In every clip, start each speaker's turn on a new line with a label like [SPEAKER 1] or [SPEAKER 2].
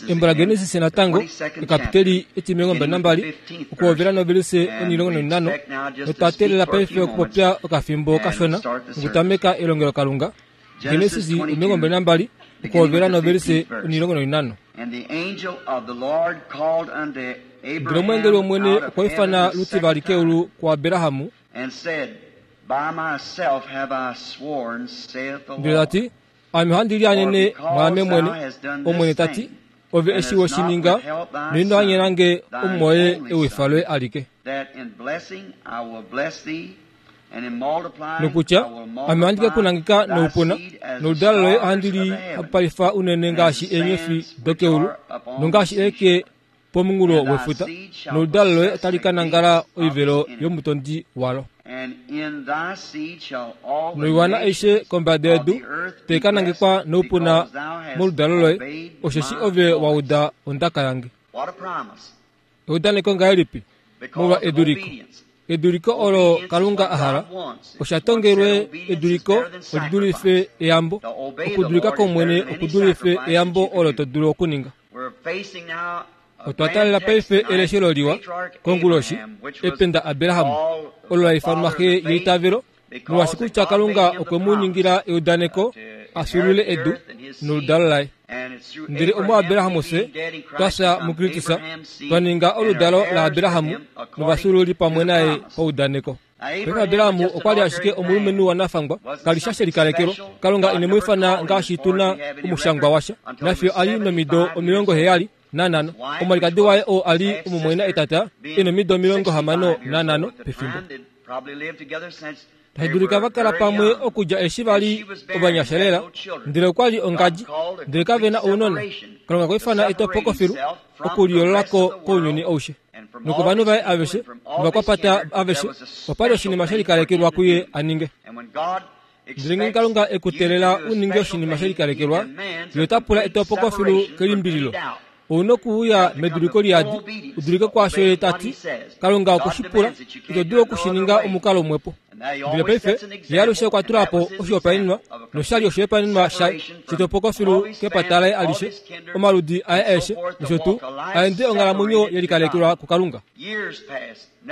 [SPEAKER 1] Embo laGenesis natango, ekapiteli etimilongo 22, okuhovela novelise 15, notwa teelela paife okupopya okafimbo kashona nokutameka elongelokalunga. Genesis 22, okuhovela novelise 15. Ndele omweengeli wOmwene okwa ifana lutivali keulu kuAbraham, ndele ta ti, Ame ohandi lianene mwaame mwene, Omwene ta ti, Ove eshi we shi ninga, noino anyena nge omumwoye ewifa loye alike. Nokutya, Ame ohandi ke ku nangeka noupuna, noludalo loye ohandi li hapupalifa unene ngaashi eenyofi dokeulu nongaashi eeke pomunghulo wefuta, noludalo loye otali ka nangala oivelo yomutondi walo. Noiwana aishe kombada yedu tai ka nangekwa noupuna moludalo loye, osheshi ove wa uda ondaka yange. Eudaneko ngahelipi molwa eduliko! Eduliko olo Kalunga a hala osha tongelwe eduliko oli dulife eyambo. Okudulika kOmwene oku dulife eyambo olo to dulu okuninga. Otwa taalela paife eleshelo liwa konguloshi, ependa Abraham, olo la ifanwa xe yeitavelo, molwaashi kutya Kalunga okwe mu ningila eudaneko a fyuulule edu noludalo laye. Ndele omuAbraham fye twa fya muKristus, twa ninga oludalo laAbraham novafyuululi pamwe naye paudaneko. Paife Abraham okwa li ashike omulumenhu wanafangwa, ka li sha she likalekelwa. Kalunga ine mu ifana ngaashi tu na omushangwa washa, nafiyo a li nomido 75. Omwalikadi waye oo a li omumwaina etata e nomido 65 pefimbo. Tashi dulika va kala pamwe okudja eshi va li ovanyasha lela, ndele okwa li ongadji, ndele kave na ounona. Kalunga okwa ifana etopoko filu okuliyoolola ko kounyuni aushe. Nokovanhu vaye aveshe novakwapata aveshe, opa li oshinima she likalekelwa kuye a ninge. Ndele ngeenge Kalunga e ku teelela u ninge oshinima she likalekelwa, ye ota pula etopoko filu kelimbililo. Ou na okuuya meduliko liyadi, u dulike kwaasho ye ta ti. Kalunga okwe shi pula, ito dulu oku shi ninga omukalo umwepo. Ndele paife, ye alushe okwa tula po oshihopaenenwa, nosha li oshihopaenenwa shaye shetopoko filu kepata laye alishe, omaludi aye aeshe, nosho tuu, a ende onghalamwenyo ye likalekelwa kuKalunga.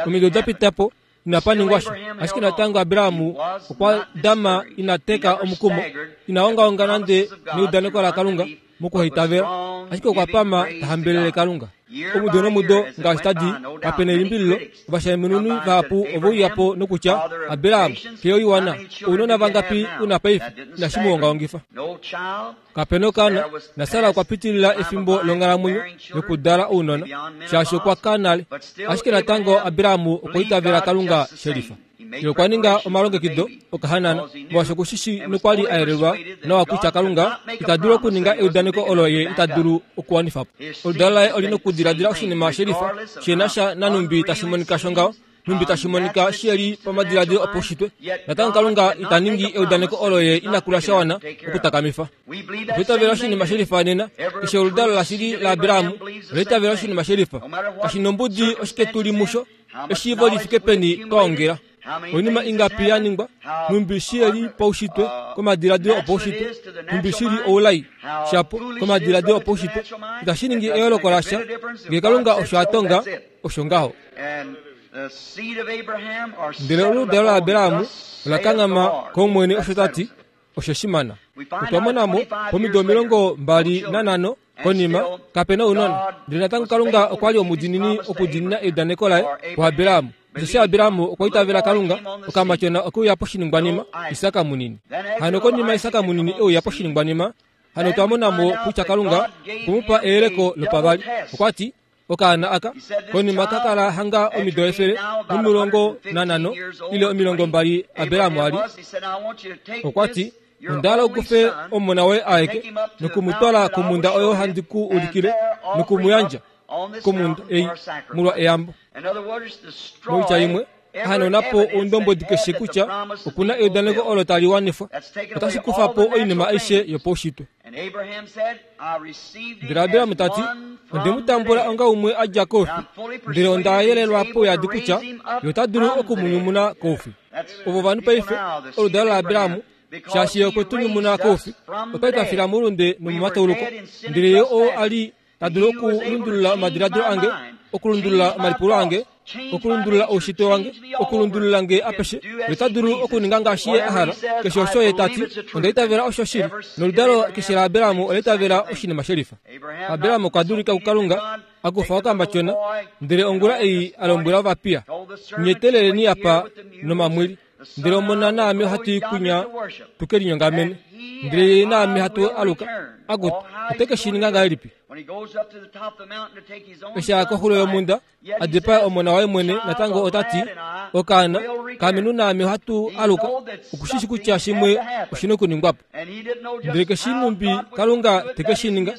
[SPEAKER 1] Omido da pita po, inapa ningwa sha. Ashike natango Abraham okwa dama ina teka omukumo, ina ongaonga nande neudaneko laKalunga mokuhaitavela, ashike okwa pama ta hambelele Kalunga. Omudo nomudo ngaashi tadi, kape nelimbililo, ovashaemununi vahapu ove uya po nokutya, Abraham, xe yoiwana, ounona vangapi u na paife? Inashi mu ongaongifa. Kape na okaana, na Sara okwa pitilila efimbo longhalamwenyo yokudala ounona, shaashi okwa ka nale. Ashike natango Abraham okwa itavela Kalunga shelifa. Ye okwa ninga omalongekido okahanana, molwaashi oku shi shii nokwa li a yelelwa nawa kutya Kalunga ita dulu okuninga eudaneko olo ye ita dulu okuwanifa po. Oludalo laye oli nokudiladila oshinima shelifa shi na sha nanhumbi tashi monika shongaho, nhumbi tashi monika shi li pamadiladilo opaushitwe. Natango Kalunga ita ningi eudaneko olo ye ina kula sha wana okutakamifa. Otwa itavela oshinima shelifa nena. Keshe oludalo lashili laAbraham ola itavela oshinima shelifa. Kashi nombudi oshike tu li musho, eshiivo li fike peni twa ongela, oinima ingapi ya ningwa, nhumbi shi li paushitwe komadiladilo opaushitwe, nhumbi shi li oulai shapo komadiladilo opaushitwe, itashi ningi eyooloko lasha. Ngee Kalunga osho a tonga, osho ngaho. Ndele oludalo laAbraham ola kanghama kOmwene osho ta ti, Osho shimana. Otwa mona mo, pomido 25 konima, kape na ounona. Ndele natango Kalunga okwa li omudiinini okudiinina eudaneko laye kuAbraham. Osheshi Abraham okwa itavela Kalunga, okamatyona oke uya poshiningwanima, Isak munini. Hano konima Isak munini e uya poshiningwanima, hano otwa mona mo kutya Kalunga okwe mu pa eyeleko lopavali. Okwa ti, Okaana aka konima ka kala hanga omido 115 ile 20 Abraham a li. Okwa ti, Onda hala u kufe omona woye aeke noku mu twala komhunda oyo handi ku ulikile noku mu yandja komhunda ei molwa eyambo. Moitya imwe, hanauna po oundombwedi keshe kutya oku na eudaneko olo tali wanifwa. Otashi kufa po oinima aishe yopaushitwe. Ndele Abraham ta ti, Onde mu tambula onga umwe a dja koufi, ndele onda yelelwa pouyadi kutya ye ota dulu oku mu nyumuna koufi. Ovo ovanhu paife, oludalo laAbraham. Shaashi Ye okwe tu nyumuna koufi, otwa li twa fila moulunde nomomatauluko. Ndele Ye oo a li ta dulu okulundulula omadiladilo ange, okulundulula omalipulo ange, okulundulula oushitwe wange, okulundulula nge apeshe, Ye ota dulu okuninga ngaashi Ye a hala. Keshe osho Ye ta ti, onda itavela osho shili. Noludalo keshe laAbraham ola itavela oshinima shelifa. Abraham okwa dulika kuKalunga, a kufa okambatyona, ndele ongula ei a lombwela ovapiya, Nye teleleni apa nomamwili. Ndele omona naame ohatu i kwinya tu ke linyongamene, ndele ye naame hatu aluka. Akutu, ote ke shi ninga ngahelipi? Eshi a ya koxulo yomhunda, a dipae omona waye mwene, natango ota ti, Okaana, kaamenu naame ohatu aluka. Oku shi shi kutya shimwe oshi na okuningwa po. Ndele ke shii nhumbi Kalunga te ke shi ninga.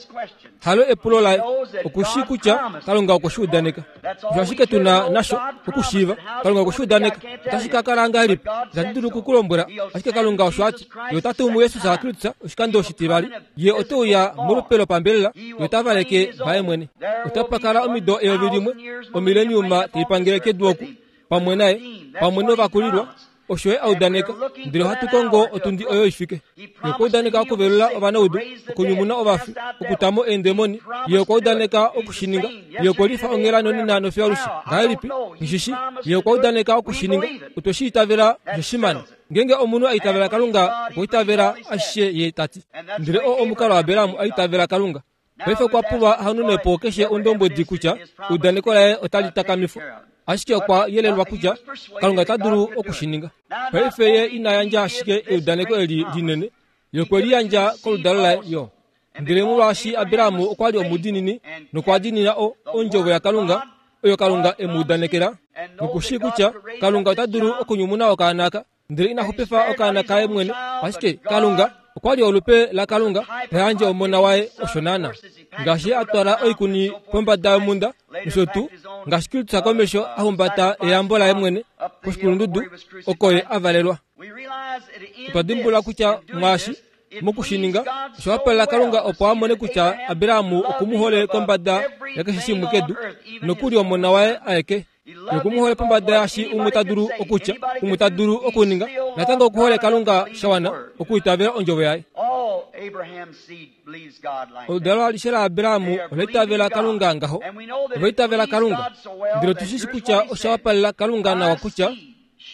[SPEAKER 1] Halo epulo laye. Oku shii kutya Kalunga okwe shi udaneka. Osho ashike tu na nasho okushiiva. Kalunga okwe shi udaneka. Otashi ka kala ngahelipi? Itandi dulu oku ku lombwela. Ashike Kalunga osho a ti. Ye ota tumu Jesus Kristus oshikando oshitivali. Ye ote uya molupe lopambelela, ye ota valeke vaye mwene. Otapa kala omido 1000, omileniuma tai pangele kedu oku, pamwe naye, pamwe novakulilwa. Osho ye a udaneka, ndele ohatu kongo otundi oyo i fike. Ye okwa udaneka okuvelula ovanaudu, okunyumuna ovafi, okuta mo eendemoni. Ye okwa udaneka oku shi ninga. Ye okwe lifa onghela nonena nofiyo alushe. Ngahelipi? Nghi shi. Ye okwa udaneka oku shi ninga. Otwe shi itavela osho shimane. Ngeenge omunhu a itavela Kalunga, okwa itavela ashishe Ye ta ti. Ndele oo omukalo Abraham a itavela Kalunga. Paife okwa pulwa a hanune po keshe ondombwedi kutya eudaneko laye otali takamifwa. Ashike okwa yelelwa kutya Kalunga ota dulu oku shi ninga. Paife ye ina yandja ashike eudaneko eli linene, ye okwe li yandja koludalo laye yo. Ndele molwaashi Abraham okwa li omudiinini nokwa diinina o, ondjovo yaKalunga oyo Kalunga e mu udanekela, noku shii kutya Kalunga ota dulu okunyumuna okaana aka, ndele ina xupifa okaana kaye mwene, ashike Kalunga okwa li olupe laKalunga ta yandje omona waye osho naana. Ngaashi a twala oikuni pombada yomhunda nosho tuu ngaashi Kristus komesho a humbata eyambo laye mwene koshikulundudu oko ye a valelwa. Otwa dimbulula kutya mwaashi moku shi ninga osha wapalela Kalunga opo a mone kutya Abraham oku mu hole kombada yakeshe shimwe kedu, nokuli omona waye aeke. Oku mu hole pombada yaashi umwe ta dulu okutya, umwe ta dulu okuninga. Natango oku hole Kalunga sha wana okuitavela ondjovo yaye. Oludalo alishe laAbraham ola itavela Kalunga ngaho. Ova itavela Kalunga. Ndele otu shi shi kutya osha wapalela Kalunga nawa kutya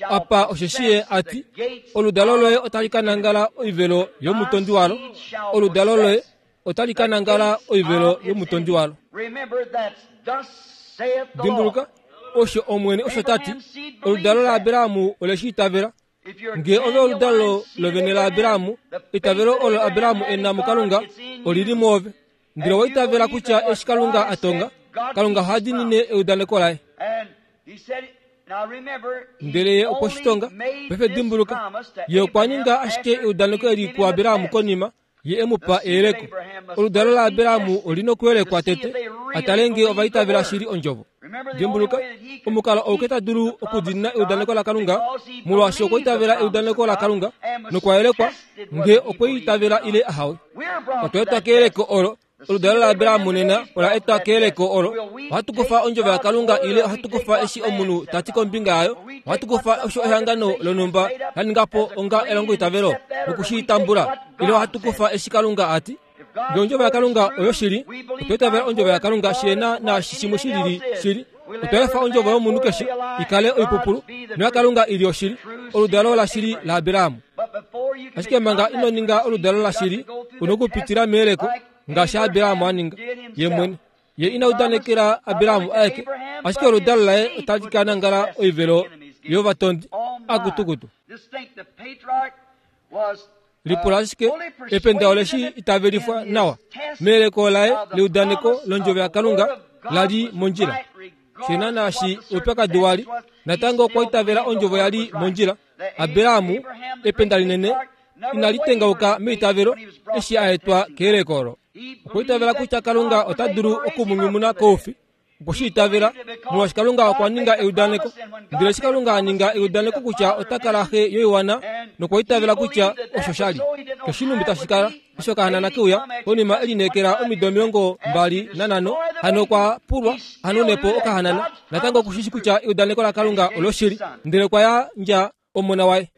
[SPEAKER 1] apa osheshi ye a ti, Oludalo loye otali ka nangala oivelo yomutondi walo. Oludalo loye otali ka nangala oivelo yomutondi walo. Dimbuluka, osho Omwene osho ta ti, oludalo laAbraham ole shi itavela. Nge ove oludalo lovene laAbraham, eitavelo olo Abraham e na muKalunga oli li mwoove. Ndele owa itavela kutya eshi Kalunga a tonga, Kalunga oha diinine eudaneko laye. Ndele ye okwe shi tonga. Paife dimbuluka, ye okwa ninga ashike eudaneko eli kuAbraham konima Ye e mu pa eyeleko. Oludalo laAbraham oli nokuyelekwa tete, a tale ngee ova itavela shili ondjovo. Dimbuluka, omukalo auke ta dulu okudiinina eudaneko laKalunga, molwaashi okwa itavela eudaneko laKalunga nokwa yelekwa ngee okwe itavela ile ahawe. Otwa etwa keyeleko olo Oludalo laAbraham nena ola etwa keyeleko olo. Ohatu kufa ondjovo yaKalunga ile ohatu kufa eshi omunhu ta ti kombinga yayo. Ohatu kufa osho ehangano lonhumba la ninga po onga elongoitavelo noku shi tambula, ile ohatu kufa eshi Kalunga a ti. Ngee ondjovo yaKalunga oyoshili, otwa itavela ondjovo yaKalunga shi na naashi shimwe shi lili shili. Otwa efa ondjovo yomunhu keshe i kale oipupulu noyaKalunga i li oshili, oludalo lashili laAbraham. Ashike manga ino ninga oludalo lashili, u na okupitila meyeleko ngaashi Abraham a ninga ye mwene. Ye ina udanekela Abraham aeke, ashike oludalo laye otali ka nangala oivelo yovatondi. Akutukutu. Lipula ashike, ependa ole shi itavelifwa nawa meyeleko laye leudaneko londjovo yaKalunga la li mondjila. Shena naashi oupyakadi wa li, natango okwa itavela ondjovo ya li mondjila. Abraham, ependa linene, inali tengauka meitavelo eshi a etwa keyeleko olo. Okwa itavela kutya Kalunga ota dulu oku mu nyumuna koufi. Okwe shi itavela, molwaashi Kalunga okwa ninga eudaneko. Ndele eshi Kalunga a ninga eudaneko kutya ota kala xe yoiwana, nokwa itavela kutya osho sha li. Keshe nhumbi tashi kala, eshi okahanana ke uya, konima e lineekela omido 25, hano okwa pulwa a nune po okahanana. Natango oku shi shii kutya eudaneko laKalunga oloshili, ndele okwa yandja omona waye.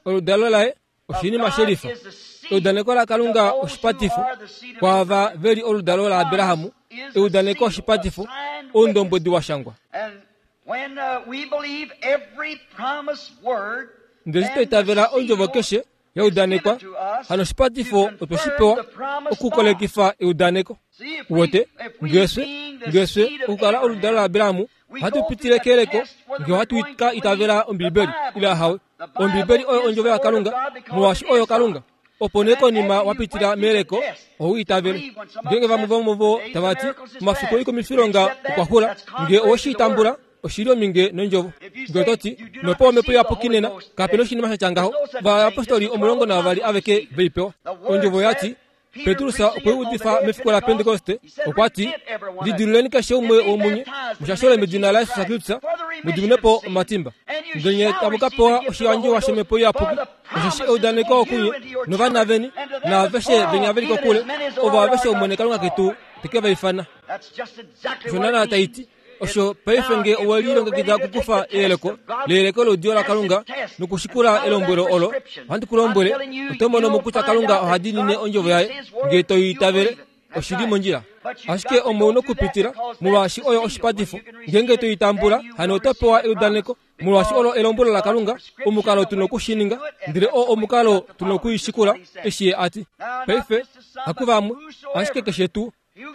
[SPEAKER 1] Oludalo laye oshinima shelifa. Eudaneko laKalunga oshipatifo kwaava ve li oludalo laAbrahamu. Eudaneko oshipatifo, oundombwedi wa shangwa. Ndele eshi twa itavela ondjovo keshe ya udanekwa, hano oshipatifo otwe shi pewa okukolekifa eudaneko. Uwete, ngee fye, ngee fye okukala oludalo laAbrahamu, ohatu pitile keyeleko ngee ohatu ka itavela Ombibeli ile ahawe. Ombibeli oyo ondjovo yaKalunga, molwaashi oyo Kalunga. Opo nee konima wa pitila meyeleko, oho itavele. Ngeenge vamwe vomuvo tava ti, Omafiku oikumifilonga okwa xula, ngee owe shi tambula, oshi li ominge nondjovo. Ngee oto ti, Nopewa Omhepo Iyapuki nena, kape na oshinima sha tya ngaho. Ovayapostoli 12 aveke ve i pewa. Ondjovo oya ti, Petrus okwe udifa mefiku laPentekoste, okwa ti, Lidiluleni keshe umwe womunye, mushashole medina laJesus Kristus, mu diminwe po omatimba. Ndele nye tamu ka pewa oshiyandjiwa shOmhepo Iyapuki, osheshi eudaneko okunye novana veni naaveshe venya ve li kokule, ovo aveshe Omwene Kalunga ketu te ke va ifana. Osho naanaa tai ti. Osho paife nge owe lilongekida okukufa eyeleko leyeleko loudiyo laKalunga nokushikula elombwelo olo, ohandi ku lombwele, oto mono mo kutya Kalunga oha diinine ondjovo yaye nge to i itavele. Oshi li mondjila. Ashike omo u nokupitila, molwaashi oyo oshipatifo. Ngeenge to i tambula, hano oto pewa eudaneko, molwaashi olo elombwelo laKalunga, omukalo tu noku shi ninga, ndele oo omukalo tu noku i shikula, eshi Ye a ti. Paife, hakuvamwe, ashike keshe tuu.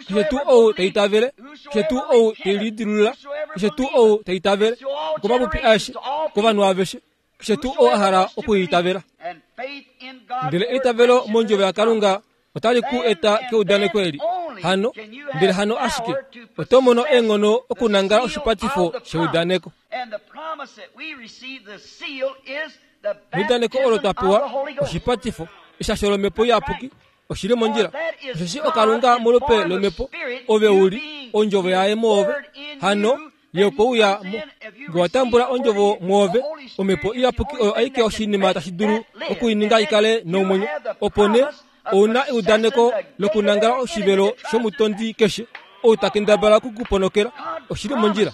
[SPEAKER 1] Keshe tuu ou ta itavele, keshe tuu ou te lidilulula, keshe tuu ou ta itavele, okomapupi aeshe, kovanhu aveshe, keshe tuu ou a hala okwiitavela. Ndele eitavelo mondjovo yaKalunga otali ku eta keudaneko eli. Hano, ndele hano ashike, oto mono eenghono okunangala oshipatifo sheudaneko. Neudaneko olo twa pewa, oshipatifo, eshasho lOmhepo Iyapuki, Oshi li mondjila, osheshi oKalunga molupe lOmhepo, ove u li Ondjovo yaye mwoove. Hano Ye okwe uya mo. Nge wa tambula Ondjovo mwoove, Omhepo Iyapuki oyo aike oshinima tashi dulu oku i ninga i kale nomwenyo. Opo nee ou na eudaneko lokunangala oshivelo shomutondi keshe ou ta kendabala oku ku ponokela. Oshi li mondjila.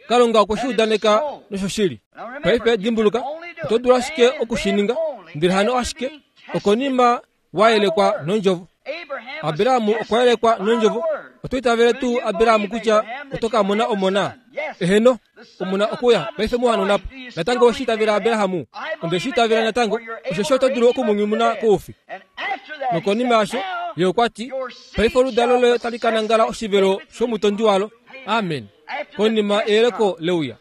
[SPEAKER 1] Kalunga okwe shi udaneka noshoshili. Paife dimbuluka, oto dulu ashike oku shi ninga, ndele hano ashike okonima wa yelekwa nondjovo. Abraham okwa yelekwa nondjovo. Oto itavele tuu Abraham kutya oto ka mona omona? Eheno, omona okuya paife mu hanuna po. Natango owe shi itavela Abraham? Onde shi itavela natango, osheshi oto dulu oku mu nyumuna koufi. Nokonima yasho, ye okwa ti, Paife oludalo loye otali ka nangala oshivelo shomutondi walo. Amen. Konima eyeleko leuya.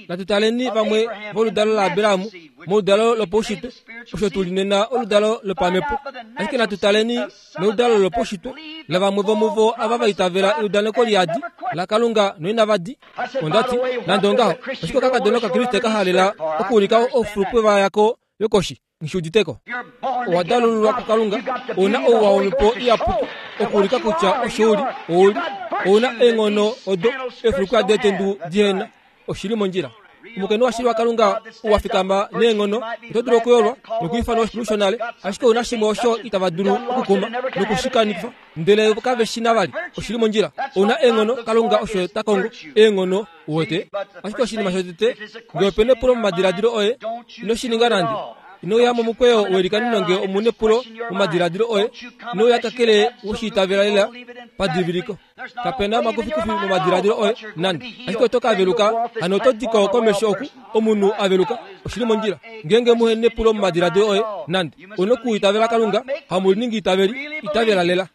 [SPEAKER 1] Natu taleni vamwe voludalo laAbraham moludalo lopaushitwe, osho tu li nena oludalo lopamhepo. Ashike natu taleni meludalo lopaushitwe lavamwe vomuvo ava va itavela eudaneko liyadi laKalunga noinava di. Onda ti, nande ongaho, oshike okakadona Okakriste ka halela okuulika oufulukwe yako yokoshi? Nghi udite ko. Owa dalululwa kuKalunga, ou na ouwa wOmhepo Iyapuki okuulika kutya osho u li. Ou li. Ou na eenghono odo eefulukwa deetendu dihe na. Oshi li mondjila. Omukainhu washili waKalunga ou wa fikama neenghono, oto dulu okuyolwa nokwiifanwa oshipulu shonale, ashike ou na shimwe osho itava dulu okukuma noku shi kanifa, ndele kave shi na vali. Oshi li mondjila. Ou na eenghono, Kalunga osho ta kongo, eenghono. Uwete? Ashike oshinima shotete, nge ope nepulo momadiladilo oye, ino shi ninga nande. Ino uya momukweyo welikanino nge omu nepulo momadiladilo oye. Ino uya kakele we shi itavela lela padiviliko. Kape na omakufikufi momadiladilo oye, nande. Ashike oto ka veluka, hano oto di ko komesho oku, omunhu a veluka. Oshi li mondjila. Ngeenge muhe nepulo momadiladilo oye, nande. Ou nokuitavela Kalunga, hamu liningi itaveli. Itavela lela.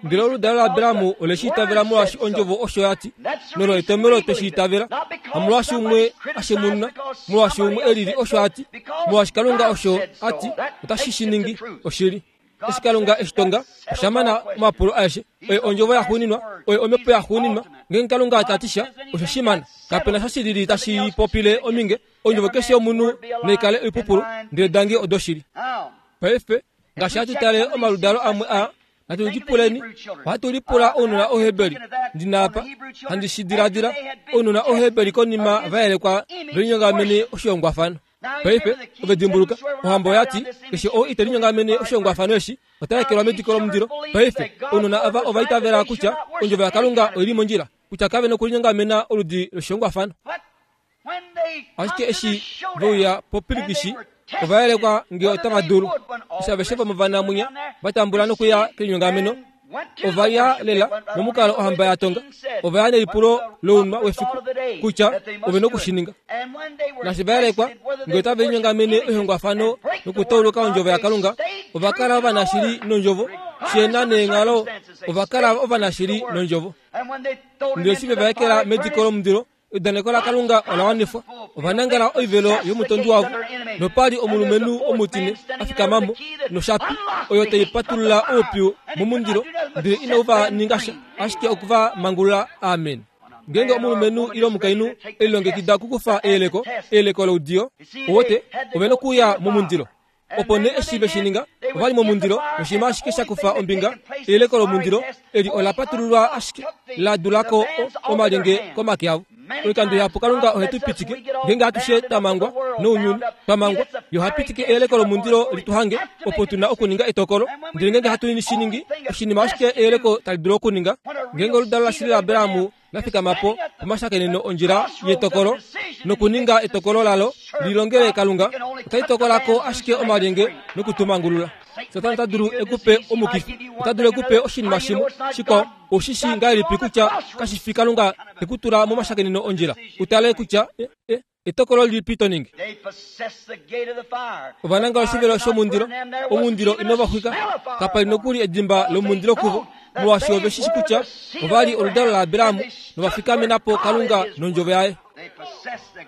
[SPEAKER 1] Ndele oludalo laAbraham ole shi itavela molwaashi ondjovo osho ya ti, nolo etomhelo twe shi itavela, hamolwaashi umwe a shemununa, molwaashi umwe e lili osho a ti, molwaashi Kalunga osho a ti, otashi shi ningi oshili. Eshi Kalunga e shi tonga, osha mana omapulo aeshe. Oye ondjovo yaxuuninwa, oye omhepo yaxuuninwa. Ngeenge Kalunga ta ti sha, osho shi mana. Kape na sha shi lili tashi popile ominge. Ondjovo keshe yomunhu nai kale oipupulu, ndele dange odoshili. Paife, Ngaashi hatu tale omaludalo amwe a, natu lipuleni. Ohatu lipula ounona Ouheberi. Ndi na apa, handi shi diladila, ounona Ouheberi konima va yelekwa ve linyongamene oshihongwafano. Paife, ove dimbuluka, ohamba oya ti, Keshe ou ite linyongamene oshihongwafano eshi, ota ekelwa mediko lomundilo. Paife, ounona ava ova itavela kutya Ondjovo yaKalunga oi li mondjila, kutya kave nokulinyongamena oludi loshihongwafano. Ashike eshi ve uya popilikishi, ova yelekwa nge otava dulu. Eshi aveshe vomovanamwinya va tambula nokuya kelinyongameno, ova ya lela momukalo ohamba ya tonga. Ova ya nelipulo lounwa wefiku kutya ove noku shi ninga. Naashi va yelekwa nge otave linyongamene oihongwafano nokutauluka ondjovo yaKalunga, ova kala ovanashili nondjovo. Shena neenghalo, ova kala ovanashili nondjovo. Ndele eshi ve va ekela mediko lomundilo, Eudaneko laKalunga ola wanifwa. Ova nangela oivelo yomutondi wavo, nopa li omulumenhu omutine a fikama mo noshapi oyo tai patulula oupyu momundilo, ndele inau va ninga sha, ashike oku va mangulula. Amen. Ngeenge omulumenhu ile omukainhu e lilongekida okukufa eyeleko, eyeleko loudiyo, owote, ove nokuuya momundilo. Opo nee eshi ve shi ninga, ova li momundilo, noshinima ashike sha kufa ombinga, eyeleko lomundilo eli ola patululwa ashike la dula ko omalyenge komake avo. Oikando ihapu Kalunga ohe tu pitike, ngeenge atushe twa mangwa nounyuni, twa mangwa, Ye oha pitike eyeleko lomundilo li tu hange, opo tu na okuninga etokolo. Ndele ngeenge hatu shi ningi, oshinima ashike eyeleko tali dulu okuninga, ngeenge oludalo lashili laAbraham la fikama po pomashakeneno ondjila yetokolo nokuninga etokolo lalo li longele Kalunga, otali tokola ko ashike omalyenge noku tu mangulula. Satana ota dulu e ku pe omukifi, ota dulu e ku pe oshinima shimwe shikwao. Ou shi shii ngahelipi kutya kashi fi Kalunga te ku tula momashakeneno ondjila u tale kutya e, e, Etokolo lilipi to ningi? Ova nangala oshivelo shomundilo, omundilo ino va xwika. Kapa li nokuli edimba lomundilo kuvo, molwaashi ove shi shi kutya ova li oludalo laAbraham nova fikamena po Kalunga nondjovo yaye.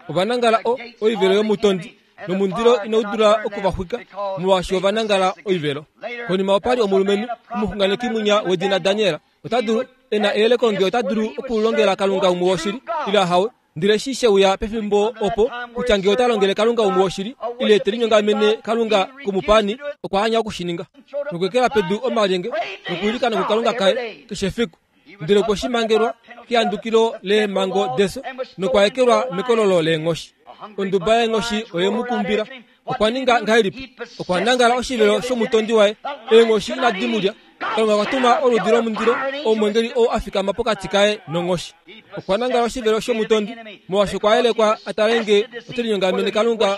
[SPEAKER 1] Ova nangala o, oivelo yomutondi, nomundilo inau dula oku va xwika, molwaashi ova nangala oivelo. Konima opa li omulumenhu omuxunganeki mwinya wedina Daniel. Ota dulu, e na eyeleko nge ota dulu okulongela Kalunga umwe woshili, ile ahawe. Ndele eshi she uya pefimbo opo kutya ngee ota longele Kalunga umwe woshili ile te linyongamene Kalunga komupaani, okwa anya oku shi ninga. Nokuekela pedu omalyenge nokwiilikana kuKalunga kaye keshe efiku. Ndele okwe shi mangelwa kehandukilo leemhango defyo nokwa ekelwa mekololo leenghoshi. Onduba yeenghoshi oye mu kumbila. Okwa ninga ngahelipi? Okwa nangala oshivelo shomutondi waye. Eenghoshi inadi mu lya. Kalunga okwa tuma oludi lomundilo, omwengeli ou a fikama pokati kaye nonghoshi. Okwa nangala oshivelo shomutondi, molwaashi okwa yelekwa a tale nge ote linyongamene Kalunga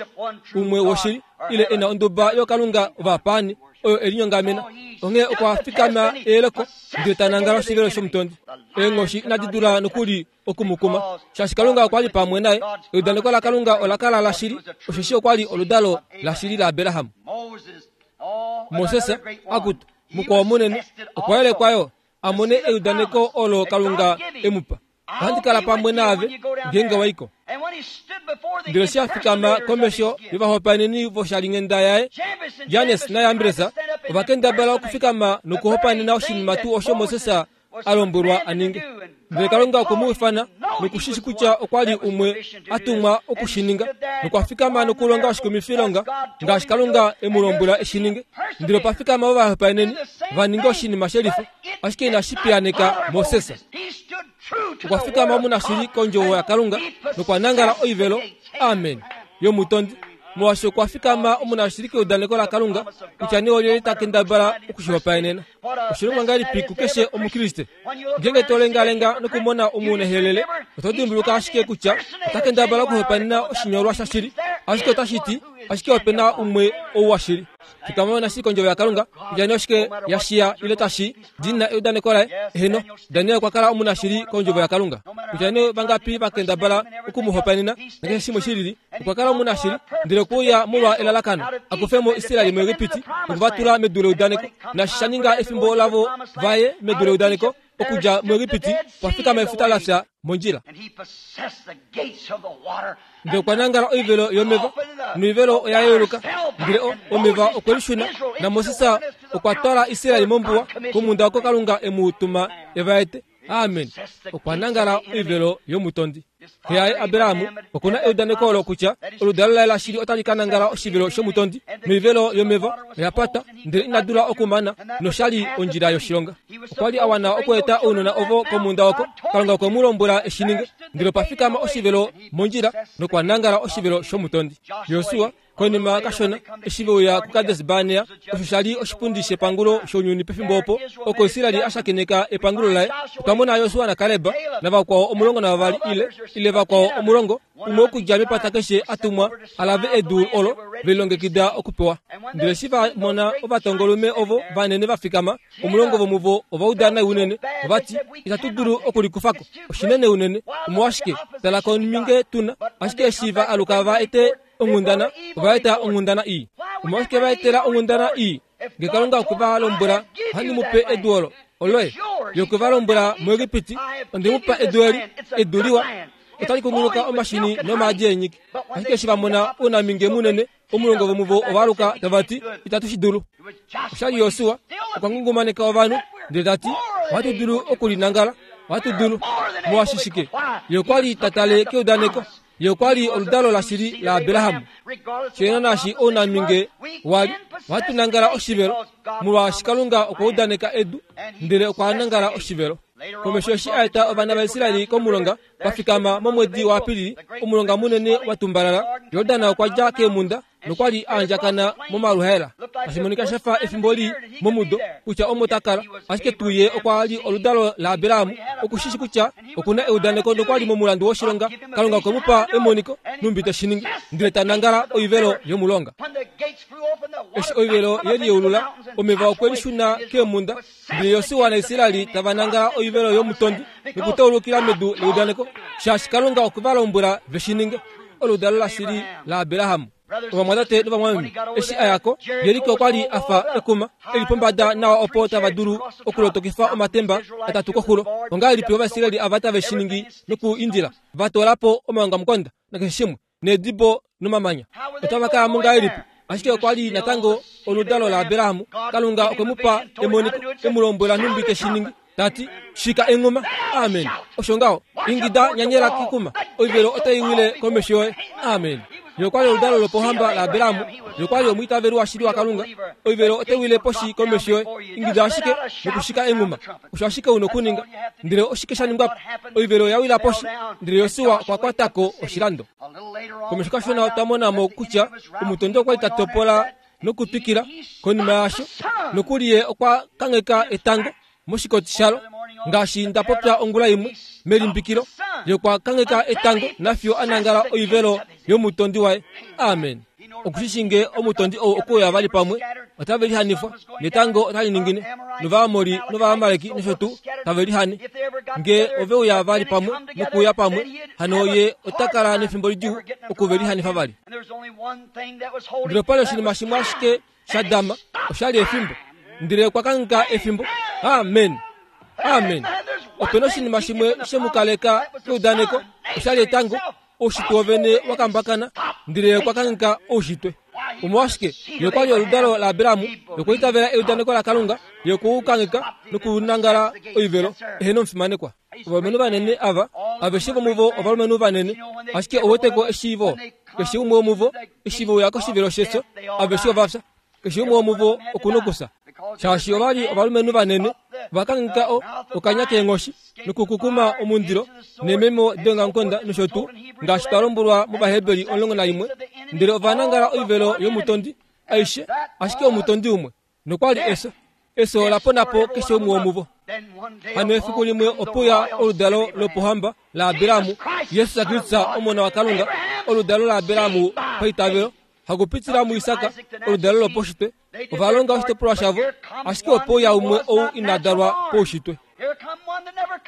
[SPEAKER 1] umwe woshili, ile e na onduba yookalunga ovapaani oyo e linyongamena. Onghee okwa fikama eyeleko, ndele ta nangala oshivelo shomutondi. Eenghoshi inadi dula nokuli oku mu kuma, shaashi Kalunga okwa li pamwe naye. Eudaneko laKalunga ola kala lashili, osheshi okwa li oludalo lashili laAbraham. Moses, akutu, mukwao munene, okwa yelekwa yo a mone eudaneko olo Kalunga e mu pa. Ohandi kala pamwe naave ngeenge wa i ko. Ndele eshi a fikama komesho yovahopaeneni voshalinghenda yaye, Jannes naJambres ova kendabala okufikama nokuhopaenena oshinima tuu osho Moses a lombwelwa a ninge. Ndele Kalunga okwe mu ifana noku shi shi kutya okwa li umwe a tumwa oku shi ninga, nokwa fikama nokulonga oshikumifilonga ngaashi Kalunga e mu lombwela e shi ninge. Ndele opa fikama ovahopaeneni va ninga oshinima shelifa, ashike inashi piyaneka Moses. Okwa fikama omunashili kondjovo yaKalunga nokwa nangala oivelo, amen, yomutondi. Molwaashi okwa fikama omunashili keudaneko laKalunga kutya nee olyelye ta kendabala oku shi hopaenena. Oshilongwa ngahelipi kukeshe Omukriste? Ngeenge to lengalenga nokumona omunehelele, oto dimbuluka ashike kutya ota kendabala okuhopaenena oshinyolwa shashili, ashike otashi ti ashike ope na umwe ou washili. Fikama nashili kondjovo yaKalunga, kutya nee oshike ya shiya ile tashi di na eudaneko laye. Eheno, Daniel okwa kala omunashili kondjovo yaKalunga. Kutya nee vangapi va kendabala oku mu hopaenena nakeshe shimwe shi lili, okwa kala omunashili, ndele okwe uya molwa elalakano, a kufe mo Israel muEgipiti noku va tula medu leudaneko. Naashi sha ninga efimbo lavo va ye medu leudaneko okudja muEgipiti, okwa fikama efuta la fya mondjila. Ndele okwa nangala oivelo yomeva, noivelo oya yeuluka, ndele omeva okwe lishuna, naMoses okwa twala Israel mombuwa komhunda oko Kalunga e mu tuma e va ete. Amen. Okwa nangala oivelo yomutondi. Xe yaye Abraham oku na eudaneko olo kutya oludalo laye lashili otali ka nangala oshivelo shomutondi, noivelo yomeva oya pata, ndele ina dula okumana, nosha li ondjila yoshilonga. Okwa li a wana okweeta ounona ovo komhunda oko Kalunga okwe mu lombwela e shi ninge, ndele opa fikama oshivelo mondjila nokwa nangala oshivelo shomutondi. Josua. Konima kashona, eshi ve uya kuKades Barnea, osho sha li oshipundi shepangulo shounyuni pefimbo opo, oko Israel a shakeneka epangulo laye, otwa mona Josua naKaleb navakwao 12 ile, ile vakwao 10, umwe okudja mepata keshe a tumwa a lave edu olo ve lilongekida okupewa. Ndele eshi va mona ovatongolume ovo vanene va fikama, 10 vomuvo ova uda nai unene, ova ti, Itatu dulu okulikufa ko, oshinene unene. Omolwashike, tala kominge tu na. Ashike eshi va aluka va ete onghundana, ova eta onghundana ii. Omolwashike va etela onghundana ii? Nge Kalunga okwe va lombwela, Ohandi mu pe edu olo, oloye. Ye okwe va lombwela muEgipiti, Onde mu pa edu eli, edu liwa, otali kunguluka omashini nomaadi eenyiki. Ashike eshi va mona ounaminge munene, 10 vomuvo ova aluka tava ti, Itatu shi dulu. Osha li Josua, okwa ngungumaneka ovanhu, ndele ta ti, Ohatu dulu oku li nangala. Ohatu dulu. Molwaashi shike? Ye okwa li ta tale keudaneko. Ye okwa li oludalo lashili laAbraham. Shena naashi ounaminge wa li, ohatu nangala oshivelo, molwaashi Kalunga okwa udaneka edu, ndele okwa nangala oshivelo. Komesho eshi a eta ovana vaIsrael komulonga, va fikama momwedi waApilili, omulonga munene wa tumbalala, Jordan okwa dja keemhunda nokwa li a andjakana momaluhaela. Tashi monika sha fa efimbo lii momudo kutya omo ta kala, ashike tuu ye okwa li oludalo laAbraham, oku shi shi kutya oku na eudaneko nokwa li momulandu woshilonga. Kalunga okwe mu pa emoniko nhumbi te shi ningi, ndele ta nangala oivelo yomulonga. Eshi oivelo ye liyeulula, omeva okwe lishuna keemhunda, ndele Josua naIsrael tava nangala oivelo yomutondi nokutaulukila medu leudaneko, shaashi Kalunga okwe va lombwela ve shi ninge. Oludalo lashili laAbraham. Ovamwatate novamwameme, eshi a ya ko, Jeriko okwa li a fa ekuma e li pombada nawa opo tava dulu okulotokifa omatemba atatu koxulo. Ongahelipi Ovaisraeli ava tave shi ningi nokuindila va toola po omaongamukonda nakeshe shimwe, needibo nomamanya? Otava ka ya mo ngahelipi? Ashike okwa li natango oludalo laAbraham. Kalunga okwe mu pa emoniko, e mu lombwela nhumbi te shi ningi, ta ti, Shika enghuma. Amen. Osho ngaho. Ingida, nyanyela kekuma. Oivelo otai wile komesho yoye. Amen. Ye okwa li oludalo lopohamba laAbraham. Ye okwa li omwiitaveli washili waKalunga. Oivelo otai wile poshi komesho yoye. Ingida ashike nokushika enghuma. Osho ashike u nokuninga. Ndele oshike sha ningwa po? Oivelo oya wila poshi, ndele Josua okwa kwata ko oshilando. Komesho kashona otwa mona mo kutya omutondi okwa li ta topola nokutwikila. Konima yaasho, nokuli ye okwa kangheka etango moshikoti shalo, ngaashi nda popya ongula imwe melimbikilo. Ye okwa kangheka etango nafiyo a nangala oivelo yomutondi waye. Amen. Oku shi shii nge omutondi ou okuuya vali pamwe, otave lihanifwa, netango otali ningine, nOvaamori nOvaamaleki nosho tuu tave lihane. Nge ove uya vali pamwe nokuuya pamwe, hano ye ota kala nefimbo lidjuu oku ve lihanifa vali. Ndele opa li oshinima shimwe ashike sha dama, osha li efimbo. Ndele okwa kangheka efimbo. Amen. Amen. Ope na oshinima shimwe she mu kaleka keudaneko, osha li etango. Oushitwe wovene wa kambakana, ndele ye okwa kangheka oushitwe. Omolwashike? Ye okwa li oludalo laAbraham, ye okwa itavela eudaneko laKalunga, ye okwe u kangheka nokunangala oivelo. Eheno omufimanekwa. Ovalumenhu vanene ava, aveshe vomuvo ovalumenhu vanene, ashike ou wete ko eshiivo, keshe umwe womuvo, eshi ve uya koshivelo shefyo, aveshe ova fya. Keshe umwe womuvo oku nokufya. Shaashi ova li ovalumenhu vanene, va kangheka o, okanya keenghoshi, nokukukuma omundilo, neememo deongamukonda nosho tuu, ngaashi twa lombwelwa mOvaheberi 11, ndele ova nangala oivelo yomutondi aishe, ashike omutondi umwe, nokwa li efyo. Efyo ola pona po keshe umwe womuvo. Hano efiku limwe ope uya oludalo lopohamba laAbraham, Jesus Kristus, Omona waKalunga, oludalo laAbraham paitavelo, hakupitila muIsak, oludalo lopaushitwe. Ova longa oshitopolwa shavo, ashike ope uya umwe ou ina dalwa paushitwe.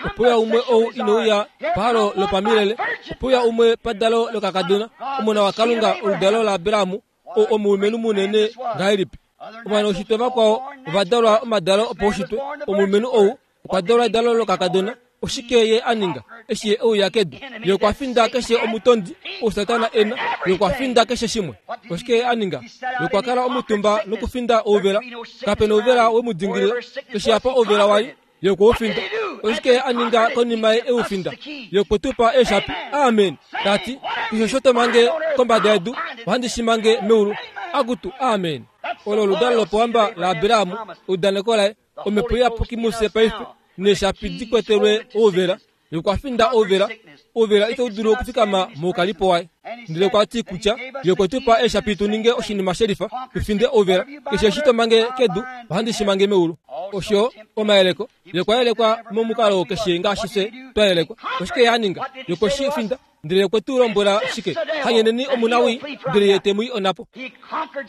[SPEAKER 1] Ope uya umwe ou ine uya pahalo lopamilele. Ope uya umwe padalo lokakadona, Omona waKalunga, oludalo laAbraham, ou omulumenhu munene ngahelipi. Ovanaushitwe vakwao ova dalwa omadalo opaushitwe. Omulumenhu ou okwa dalwa edalo lokakadona. Oshike ye a ninga eshi ye e uya kedu? Ye okwa finda keshe omutondi ou Satana e na. Ye okwa finda keshe shimwe. Oshike ye a ninga? Ye okwa kala omutumba nokufinda ouvela. Kape na ouvela we mu dingilila. Keshe apa ouvela wa li, Ye okwe u finda. Oshike ye a ninga konima ye e u finda? Ye okwe tu pa eeshapi. Amen. Ta ti, Keshe osho to mange kombada yedu, ohandi shi mange meulu. Akutu, amen. Olo oludalo lopohamba laAbraham, eudaneko laye, Omhepo Iyapuki mufye paife, neeshapi di kwetelwe ouvela. Ye okwa finda ouvela, ouvela itau dulu okufikama moukalipo waye. Ndele okwa ti kutya Ye okwe tu pa eeshapi tu ninge oshinima shelifa, tu finde ouvela. Keshe eshi to mange kedu, ohandi shi mange meulu. Osho omayeleko. Ye okwa yelekwa momukalo keshe ngaashi fye twa yelekwa. Oshike Ye a ninga? Ye okwe shi finda. Ndele okwe tu lombwela shike? Hanyeneni omunawii, ndele ye te mu i onhapo. Ye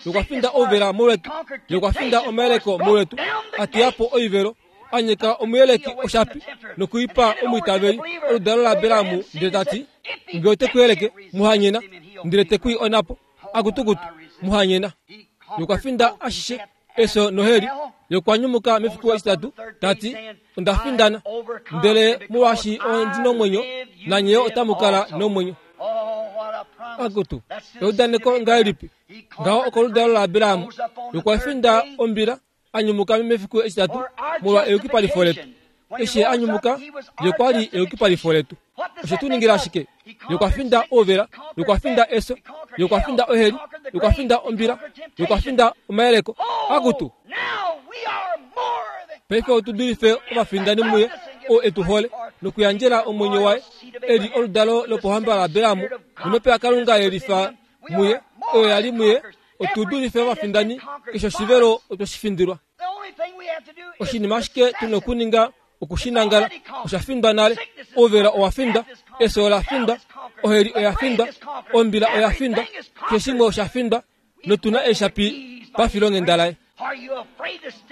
[SPEAKER 1] okwa finda ouvela molwetu. Ye okwa finda omayeleko molwetu, a teya po oivelo, a nyeka omuyeleki oshapi noku i pa omwiitaveli, oludalo laAbraham, ndele ta ti, Nge ote ku yeleke, mu hanyena, ndele te ku i onhapo. Akutukutu, mu hanyena. Ye okwa finda ashishe efyo noheli, ye okwa nyumuka mefiku etitatu, ta ti, Onda findana, ndele molwaashi ondi nomwenyo, nanye yo otamu kala nomwenyo. Akutu, eudaneko ngahelipi! Ngaho okoludalo laAbraham, ye okwa finda ombila, a nyumuka mefiku etitatu molwa eyukipalifo letu. Eshi a nyumuka, ye okwa li eyukipalifo letu. Oshe tu ningila shike? Ye okwa finda ouvela, ye okwa finda efyo, ye okwa finda oheli, ye okwa finda ombila, ye okwa finda omayeleko. Akutu! Paife otu dulife ovafindani muye oo e tu hole nokuyandjela omwenyo waye e li oludalo lopohamba laAbraham nomhepo yaKalunga ye lifa muye, oyo ya li muye, otu dulife ovafindani keshe oshivelo otwe shi findilwa. Oshinima ashike tu na okuninga oku shi nangala. Osha findwa nale. Ouvela owa findwa, efyo ola findwa, oheli oya findwa, ombila oya findwa, keshe shimwe osha findwa, notu na eeshapi pafilonghenda laye.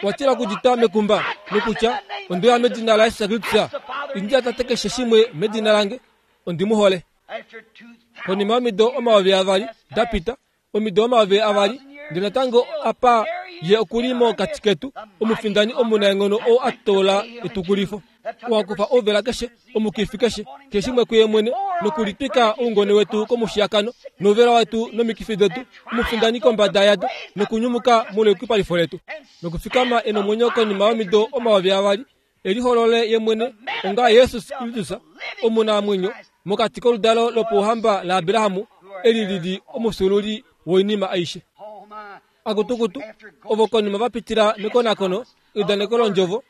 [SPEAKER 1] Wa tila okudita mekumba nokutya, Onde uya medina laJesus Kristus, indi yatate keshe shimwe medina lange, ondi mu hole. Konima yomido 2000 da pita, omido 2000, ndele natango apa ye oku li mokati ketu, omufindani omunaenghono oo a toola etukulifo. Oo a kufa ouvela keshe, omukifi keshe, keshe shimwe kuye mwene, nokulitwika oungone wetu komushiyakano, nouvela wetu nomikifi detu, omufindani kombada yado, nokunyumuka molweyukipalifo letu, nokufikama e nomwenyo konima yomido 2000, e liholole ye mwene onga Jesus Kristus omunamwenyo mokati koludalo lopouhamba laAbraham, eli li li omufyuululi woinima aishe. Akutukutu, ovo konima va pitila mekonakono eudaneko londjovo,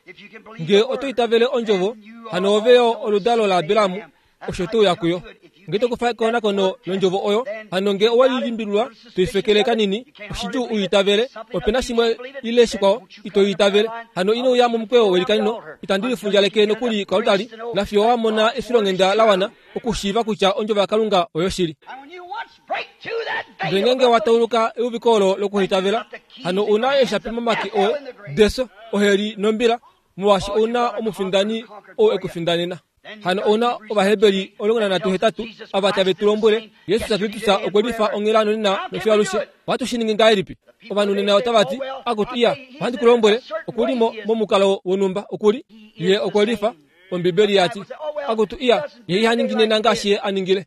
[SPEAKER 1] nge oto itavele ondjovo, hano ove yo oludalo laAbraham, osho to uya kuyo. Nge to kufa ekonakono londjovo oyo, hano nge owe lilimbililwa, to ifekele kanini, oshidjuu u itavele, ope na shimwe ile shikwao ito itavele. Hano ino uya momukweyo welikanino, itandi lifundjaleke nokuli koaltari, nafiyo wa mona efilonghenda la wana okushiiva kutya ondjovo yaKalunga oyoshili. Ndele ngeenge wa tauluka euviko olo lokuhitavela, hano u na eeshapi momake oye defyo, oheli nombila, molwaashi ou na omufindani ou e ku findanena. Hano ou na Ovaheberi 13 ava tave tu lombwele, Jesus Kristus okwe lifa onghela nonena nofiyo alushe. Ohatu shi ningi ngahelipi? Ovanhu nena otava ti, Akutu, iya, ohandi ku lombwele, oku li mo, momukalo wonhumba, oku li. Ye okwe lifa, Ombibeli ya ti. Akutu, iya, ye iha ningi nena ngaashi ye a ningile.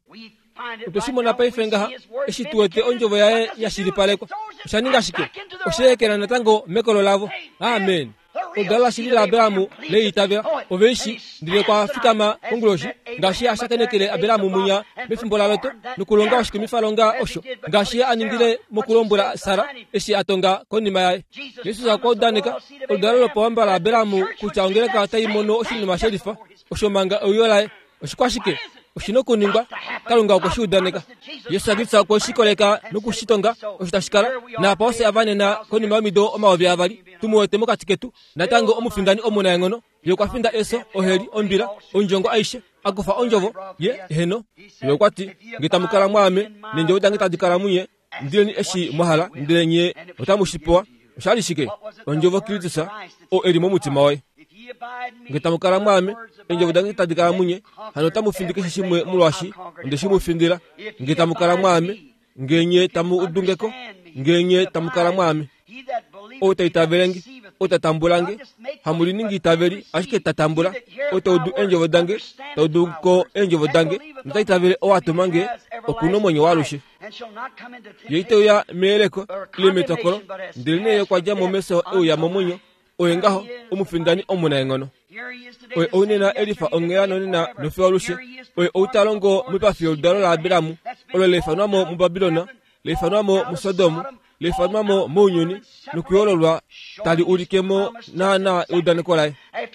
[SPEAKER 1] Otwe shi mona paife ngaha, eshi tu wete ondjovo yaye ya shilipalekwa. Osha ninga shike? Osha ekela natango mekolo lavo. Amen. Oludalo lashili laAbraham le itavela. Ove i shi, ndele kwa fikama konguloshi, ngaashi a shakenekele Abraham munya mefimbo laLot, nokulonga oshikumifalonga osho, ngaashi ye a ningile mokulombwela Sara eshi a tonga konima yaye. Jesus okwa udaneka oludalo lopawamba laAbraham kutya ongeleka otai mono oshinima shelifa osho manga euyo laye. Oshikwashike? Oshi na okuningwa. Kalunga okwe shi udaneka. Jesus Kristus okwe shi koleka noku shi tonga osho tashi kala. Naapa ofye ava nena konima yomido 2000, tu mu wete mokati ketu, natango omufindani omunaenghono. Ye okwa finda efyo, oheli, ombila, ondjongo aishe, a kufa ondjovo. Ye, eheno. Ye okwa ti, Nge tamu kala mwaame, neendjovo dange tadi kala munye, indileni eshi mwa hala, ndele nye otamu shi pewa. Osha li shike? Ondjovo Kristus, oo e li momutima woye. Nge tamu kala mwaame, eendjovo dange tadi kala munye, hano otamu findi keshe shimwe molwaashi onde shi mu findila. Nge tamu kala mwaame, nge nye tamu udu nge ko, nge nye tamu kala mwaame. Ou ta itavele nge, ou ta tambula nge, hamu liningi itaveli, ashike ta tambula. Ou ta udu eendjovo dange, ta udu ko eendjovo dange, nota itavele ou a tuma nge, oku na omwenyo waalushe. Ye ite uya meyeleko ile metokolo, ndelenee ye okwa dja mo mefyo e uya momwenyo. Oye ngaho omufindani omunaenghono. Oye ou nena e lifa onghela nonena nofiyo alushe. Oye ou ta longo moipafi yoludalo laAbraham, olo la ifanwa mo muBabilon, la ifanwa mo muSodom, la ifanwa mo mounyuni nokuyoololwa tali ulike mo naanaa eudaneko laye.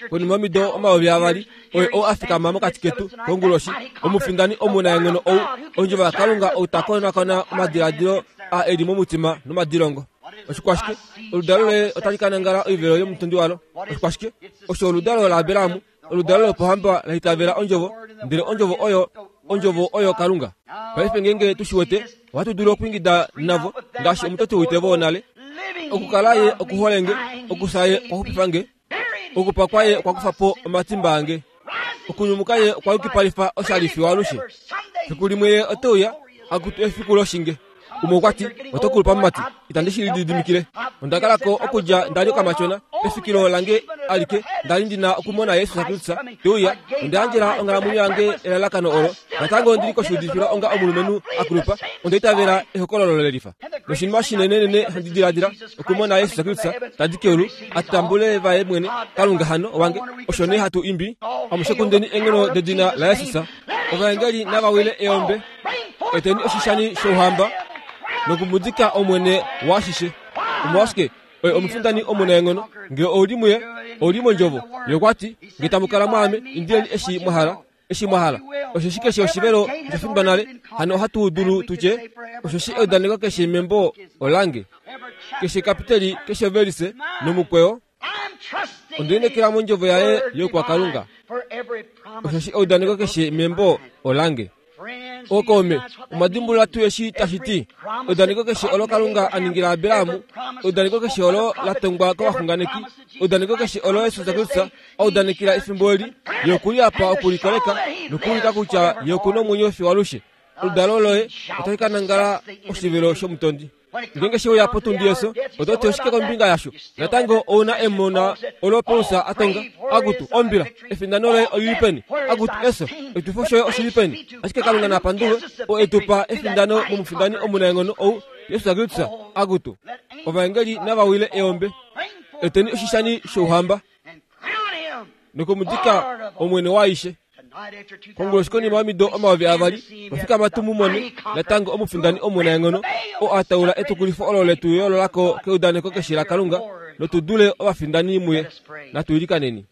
[SPEAKER 1] Konima yomido 2000, oye ou a fikama mokati ketu konguloshi, omufindani omunaenghono ou, Ondjovo yaKalunga ou ta konakona omadiladilo a e li momutima nomadilongo. Oshikwashike? Oludalo loye otali ka nangala oivelo yomutondi walo. Oshikwashike? Osho oludalo laAbraham, oludalo lopohamba la itavela Ondjovo, ndele Ondjovo oyo Ondjovo oyo Kalunga. Paife ngeenge tu shi wete, ohatu dulu okwiingida navo ngaashi omutoti woitevo wonale, Okukala ye okuhole nge, okufya ye okwa xupifa nge, okupa kwaye okwa kufa po omatimba ange, okunyumuka ye okwa yukipalifa oshali fiyo alushe. Fiku limwe ye ote uya, akutu efiku loshinge. Umwe okwa ti, Oto kulupa mumati, itandi shi lididimikile. Onda kala ko okudja nda li okamatyona, efikilo lange alike nda li ndi na okumona Jesus Kristus te uya. Onda yandjela onghalamwenyo yange elalakano olo. Natango ondi li koshuudifilwa onga omulumenhu a kulupa. Onda itavela ehokololo lelifa. Noshinima shinenenene handi diladila, okumona Jesus Kristus ta di keulu, a tambule vaye mwene, Kalunga hano owange. Osho nee hatu imbi, Amushe kundeni eenghono dedina laJesus. Ovaengeli nava wile eombe. Eteni oshishani shouhamba nokumudika Omwene waashishe. Omolwashike? Oye omufindani omunaenghono. Nge ou li muye, ou li mondjovo. Ye okwa ti, Nge tamu kala mwaame, indileni eshi mwa hala, eshi mwa hala. Osheshi keshe oshivelo osha findwa nale, hano ohatu dulu tu tye, osheshi eudaneko keshe membo olange. Keshe kapiteli, keshe ovelise, nomukweyo, Onde lineekela mondjovo yaye youkwakalunga, osheshi eudaneko keshe membo olange. Ookaume, omwa dimbulula tuu eshi tashi ti? Eudaneko keshe olo Kalunga a ningila Abraham, eudaneko keshe olo la tongwa kovaxunganeki, eudaneko keshe olo Jesus Kristus a udanekela efimbo eli, ye oku li apa oku li koleka nokuulika kutya ye oku na omwenyo fiyo alushe. Oludalo loye otali ka nangala oshivelo shomutondi. Ngeenge she uya potundi yeso, oto ti oshike kombinga yasho? Natango ou na emona olo Paulus a tonga, Akutu, ombila, efindano loye oli li peni? Akutu, eso, oshitufo shoye oshi li peni? Ashike Kalunga na pandulwe, oo e tu pa efindano momufindani omunaenghono ou, Jesus Kristus. Akutu, ovaengeli nava wile eombe. Eteni oshishani shouhamba nokumudika Omwene waaishe. Konguloshi konima yomido 2000, otwa fikama tu mu mone natango omufindani omunaenghono oo a taula etukulifo olo letu yoolola ko keudaneko keshe laKalunga notu dule ovafindani muye. Natu ilikaneni.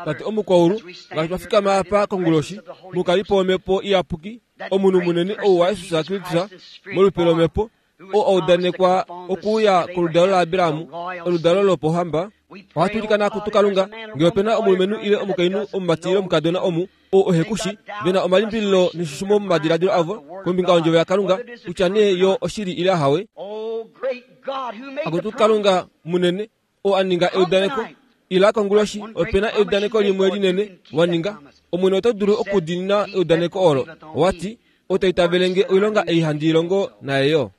[SPEAKER 1] Tate Omukwaulu, ngaashi twa fikama apa konguloshi, mukalipo wOmhepo Iyapuki, omunhu munene ou waJesus Kristus, molupe lOmhepo, oo a udanekwa okuuya koludalo laAbraham, oludalo lopohamba. Ohatu ilikana kutu Kalunga, ngee ope na omulumenhu ile omukainhu, omumati ile omukadona omu, oo ehe ku shi, ve na omalimbililo neshushumo momadiladilo avo kombinga yOndjovo yaKalunga, kutya nee yo oshili ile ahawe. Akutu Kalunga munene, oo a ninga eudaneko, ila konguloshi, ope na eudaneko limwe linene wa ninga. Omwene oto dulu okudiinina eudaneko olo. Owa ti, Ou ta itavele nge oilonga ei handi i longo naye yo.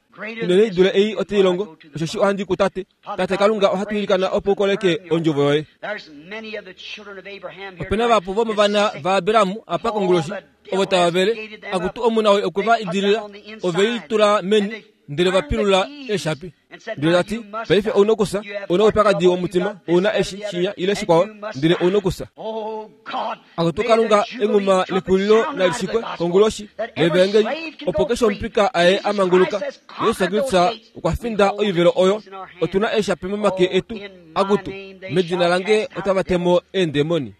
[SPEAKER 1] Inene i dule ei ote i longo, osheshi ohandi i kuTate. Tate Kalunga, ohatu ilikana opo u koleke Ondjovo yoye. Ope na vahapu vomovana vaAbraham apa konguloshi, ovo tava vele, akutu omuna woi okwe va idilila, ove i tula meni, ndele va pilula eeshapi. Ndele ta ti, Paife ou na okufya, ou na oupyakadi womutima, ou na eshi, shinya, ile shikwao, ndele ou na okufya. Akutu Kalunga, enghuma lekulilo nali shikwe konguloshi levaengeli, opo keshe omupika aye a manguluka. Jesus Kristus okwa finda oivelo oyo. Otu na eeshapi momake etu. Akutu, medina lange otava te mo eendemoni.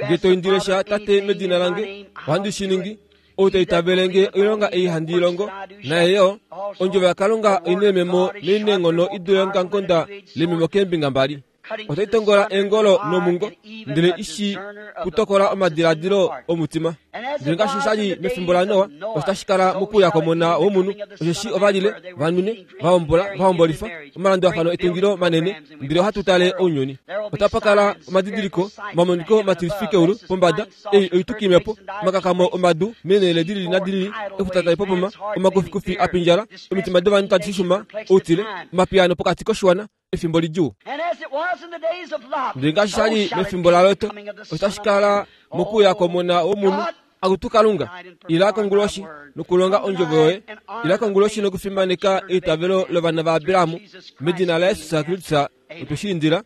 [SPEAKER 1] Nge to indile sha Tate medina lange, ohandi shi ningi. Ou ta itavele nge oilonga ei handi i longo, naye yo, ondjovo yaKalunga oi neememo noi neenghono i dule eongamukonda lememo keembinga mbali. Otai tongola eengolo nomungo, ndele i shii kutokola omadiladilo omutima. Ndele ngaashi sha li mefimbo laNoa, osho tashi kala mokuuya kwOmona wOmunhu, osheshi ova lile, va nwine, va hombola, va hombolifa, omalandulafano etungilo manene, ndele ohatu tale ounyuni. Otapa kala omadidiliko, omamoniko matilifi keulu pombada, ei oitukimhepo, omakakamo omadu meenhele di lili nadi lili, efuta tali popoma, omakufikufi a pindjala, omitima dovanhu tadi shushuma, outile, omapiyaano pokati koshiwana, efimbo lidjuu. Ndele ngaashi sha li mefimbo laLot, osho tashi kala mokuuya kwOmona wOmunhu. Akutu Kalunga, ila konguloshi nokulonga ondjovo yoye. Ila konguloshi nokufimaneka eitavelo lovana vaAbraham medina laJesus Kristus otwe shi indila.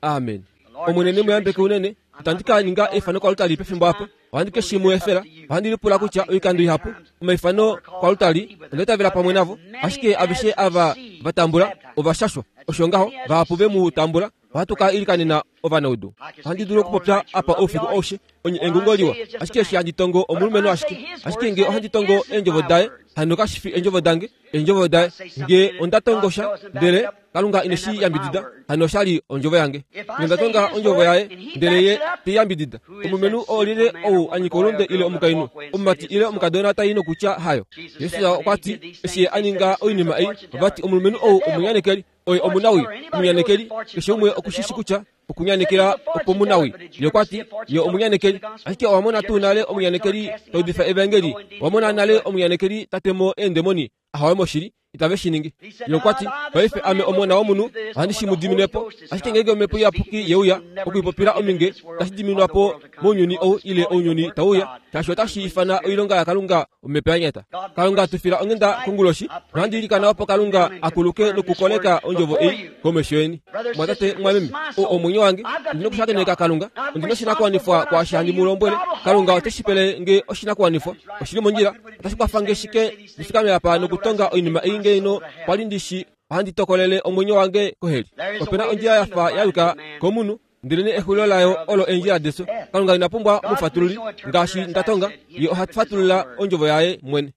[SPEAKER 1] Amen. Omwene ne mu yambeke unene. Itandi ka ninga eifano kwalutali pefimbo apa. Ohandi ke shi mu efela. Ohandi lipula kutya oikando ihapu omaifano kwalutali onda itavela pamwe navo, ashike aveshe ava. va tambula ova shashwa. Osho ngaho vahapu ve mu tambula. Ohatu ka ilikanena ovanaudu. Ohandi dulu okupopya apa oufiku aushe, onye engungo liwa, ashike eshi handi tongo omulumenhu ashike. Ashike nge ohandi tongo eendjovo daye, hano kashi fi eendjovo dange, eendjovo daye. Nge onda tongo sha, ndele Kalunga ine shi yambidida, hano osha li ondjovo yange. Nge onda tonga ondjovo yaye, ndele ye te i yambidida, omulumenhu oo lyelye ou a nyika oulunde ile omukainhu, omumati ile omukadona tai nokutya hayo. Jesus okwa ti, eshi ye a ninga oinima ei, ova ti omulumenhu ou omunyanekeli. Oye omunawii, omunyanekeli. Keshe umwe oku shi shi kutya okunyanekela okwomunawii. Ye okwa ti, Ye omunyanekeli. Ashike owa mona tuu nale omunyanekeli ta udifa evangeli? Owa mona nale omunyanekeli ta te mo eendemoni? Ahowe moshili, itave shi ningi. Ye okwa ti, Paife ame Omona womunhu ohandi shi mu dimine po. Ashike ngeenge Omhepo Iyapuki ye uya okwiipopila ominge, itashi diminwa po mounyuni ou ile ounyuni tau uya, shaashi otashi ifana oilonga yaKalunga omhepo ya nyata. Kalunga tu fila onghenda konguloshi, nohandi ilikana opo Kalunga a kuluke nokukoleka ondjovo ei komesho yeni. Mwatate, mwameme, oo omwenyo wange, ondi nokushakeneka Kalunga, ondi noshinakuwanifwa kwaashi handi mu lombwele. Kalunga ote shi pele nge oshinakuwanifwa. Oshi li mondjila. Otashi kwafa nge shike ndi fikame apa nokutonga oinima ei ngeino kwa li ndi shi ohandi tokolele omwenyo wange koheli? Ope na ondjila ya fa ya yuka komunhu, Ndelenee exulilo layo olo eendjila defyo. Kalunga ina pumbwa omufatululi, ngaashi nda tonga, Ye oha fatulula Ondjovo Yaye mwene.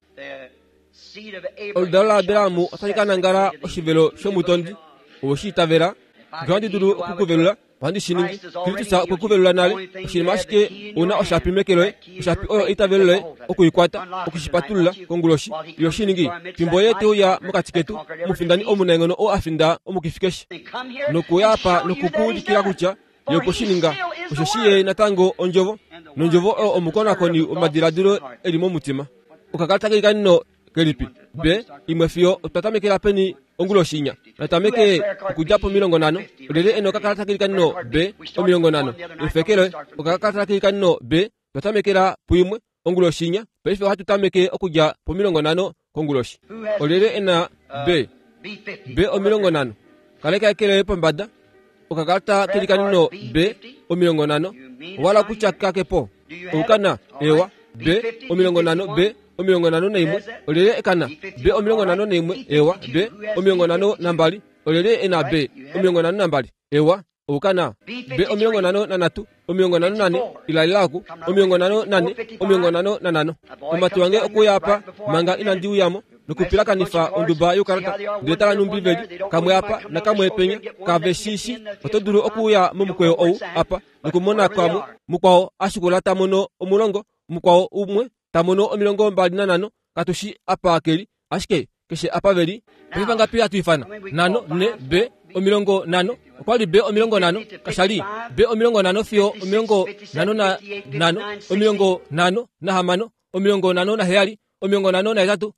[SPEAKER 1] Oludalo laAbraham otali ka nangala oshivelo shomutondi. Owe shi itavela? Nge ohandi dulu oku ku velula, ohandi shi ningi. Kristus okwe ku velula nale. Oshinima ashike u na oshapi meke loye, oshapi oyo eitavelo loye, oku i kwata, oku shi patulula, konguloshi. Iyo shi ningi, fimbo Ye te uya mokati ketu, omufindani omunaenghono oo a finda omukifi keshe. Nokuya apa noku ku ulikila kutya Ye okwe shi ninga, osheshi Ye natango Ondjovo, nOndjovo oyo omukonakoni womadiladilo e li momutima. Okakalata keikanino kelipi? B, imwe fiyo otwa tamekela peni onguloshi inya? Natameke okudja pomilongonhano. Olyelye e na okakalata keikanino B, omilongonhano? Efeke loye. Okakalata keikanino B, twa tamekela puimwe onguloshi inya. Paife ohatu tameke okudja pomilongonhano konguloshi. Olyelye e na B? B 50. Kaleka eke loye pombada. Okakalata kelikanino B 50. Owa hala okutya kake po? Oukana? Eewa. B 50 B 51. Olyelye e kana? B 51. Eewa. B 52. Olyelye e na B 52? Eewa. Oukana? B 53, 54, ilalila oku, 54, 55. Omumati wange okuya apa manga inandi uya mo nokupilakanifa onduba youkalata ndele tala nhumbi ve li kamwe apa nakamwe penya kave shi shi oto dulu okuuya momukweyo ou apa nokumona kamwe mukwao a shikula ta mono omulongo mukwao umwe ta mono 25 katu shi apa ke li ashike keshe apa ve li. Paife vangapi hatu ifana? Nhano, ne, B, 50. Okwa li B 50, kasha li B 50 fiyo 55, 56, 57, 58, 59,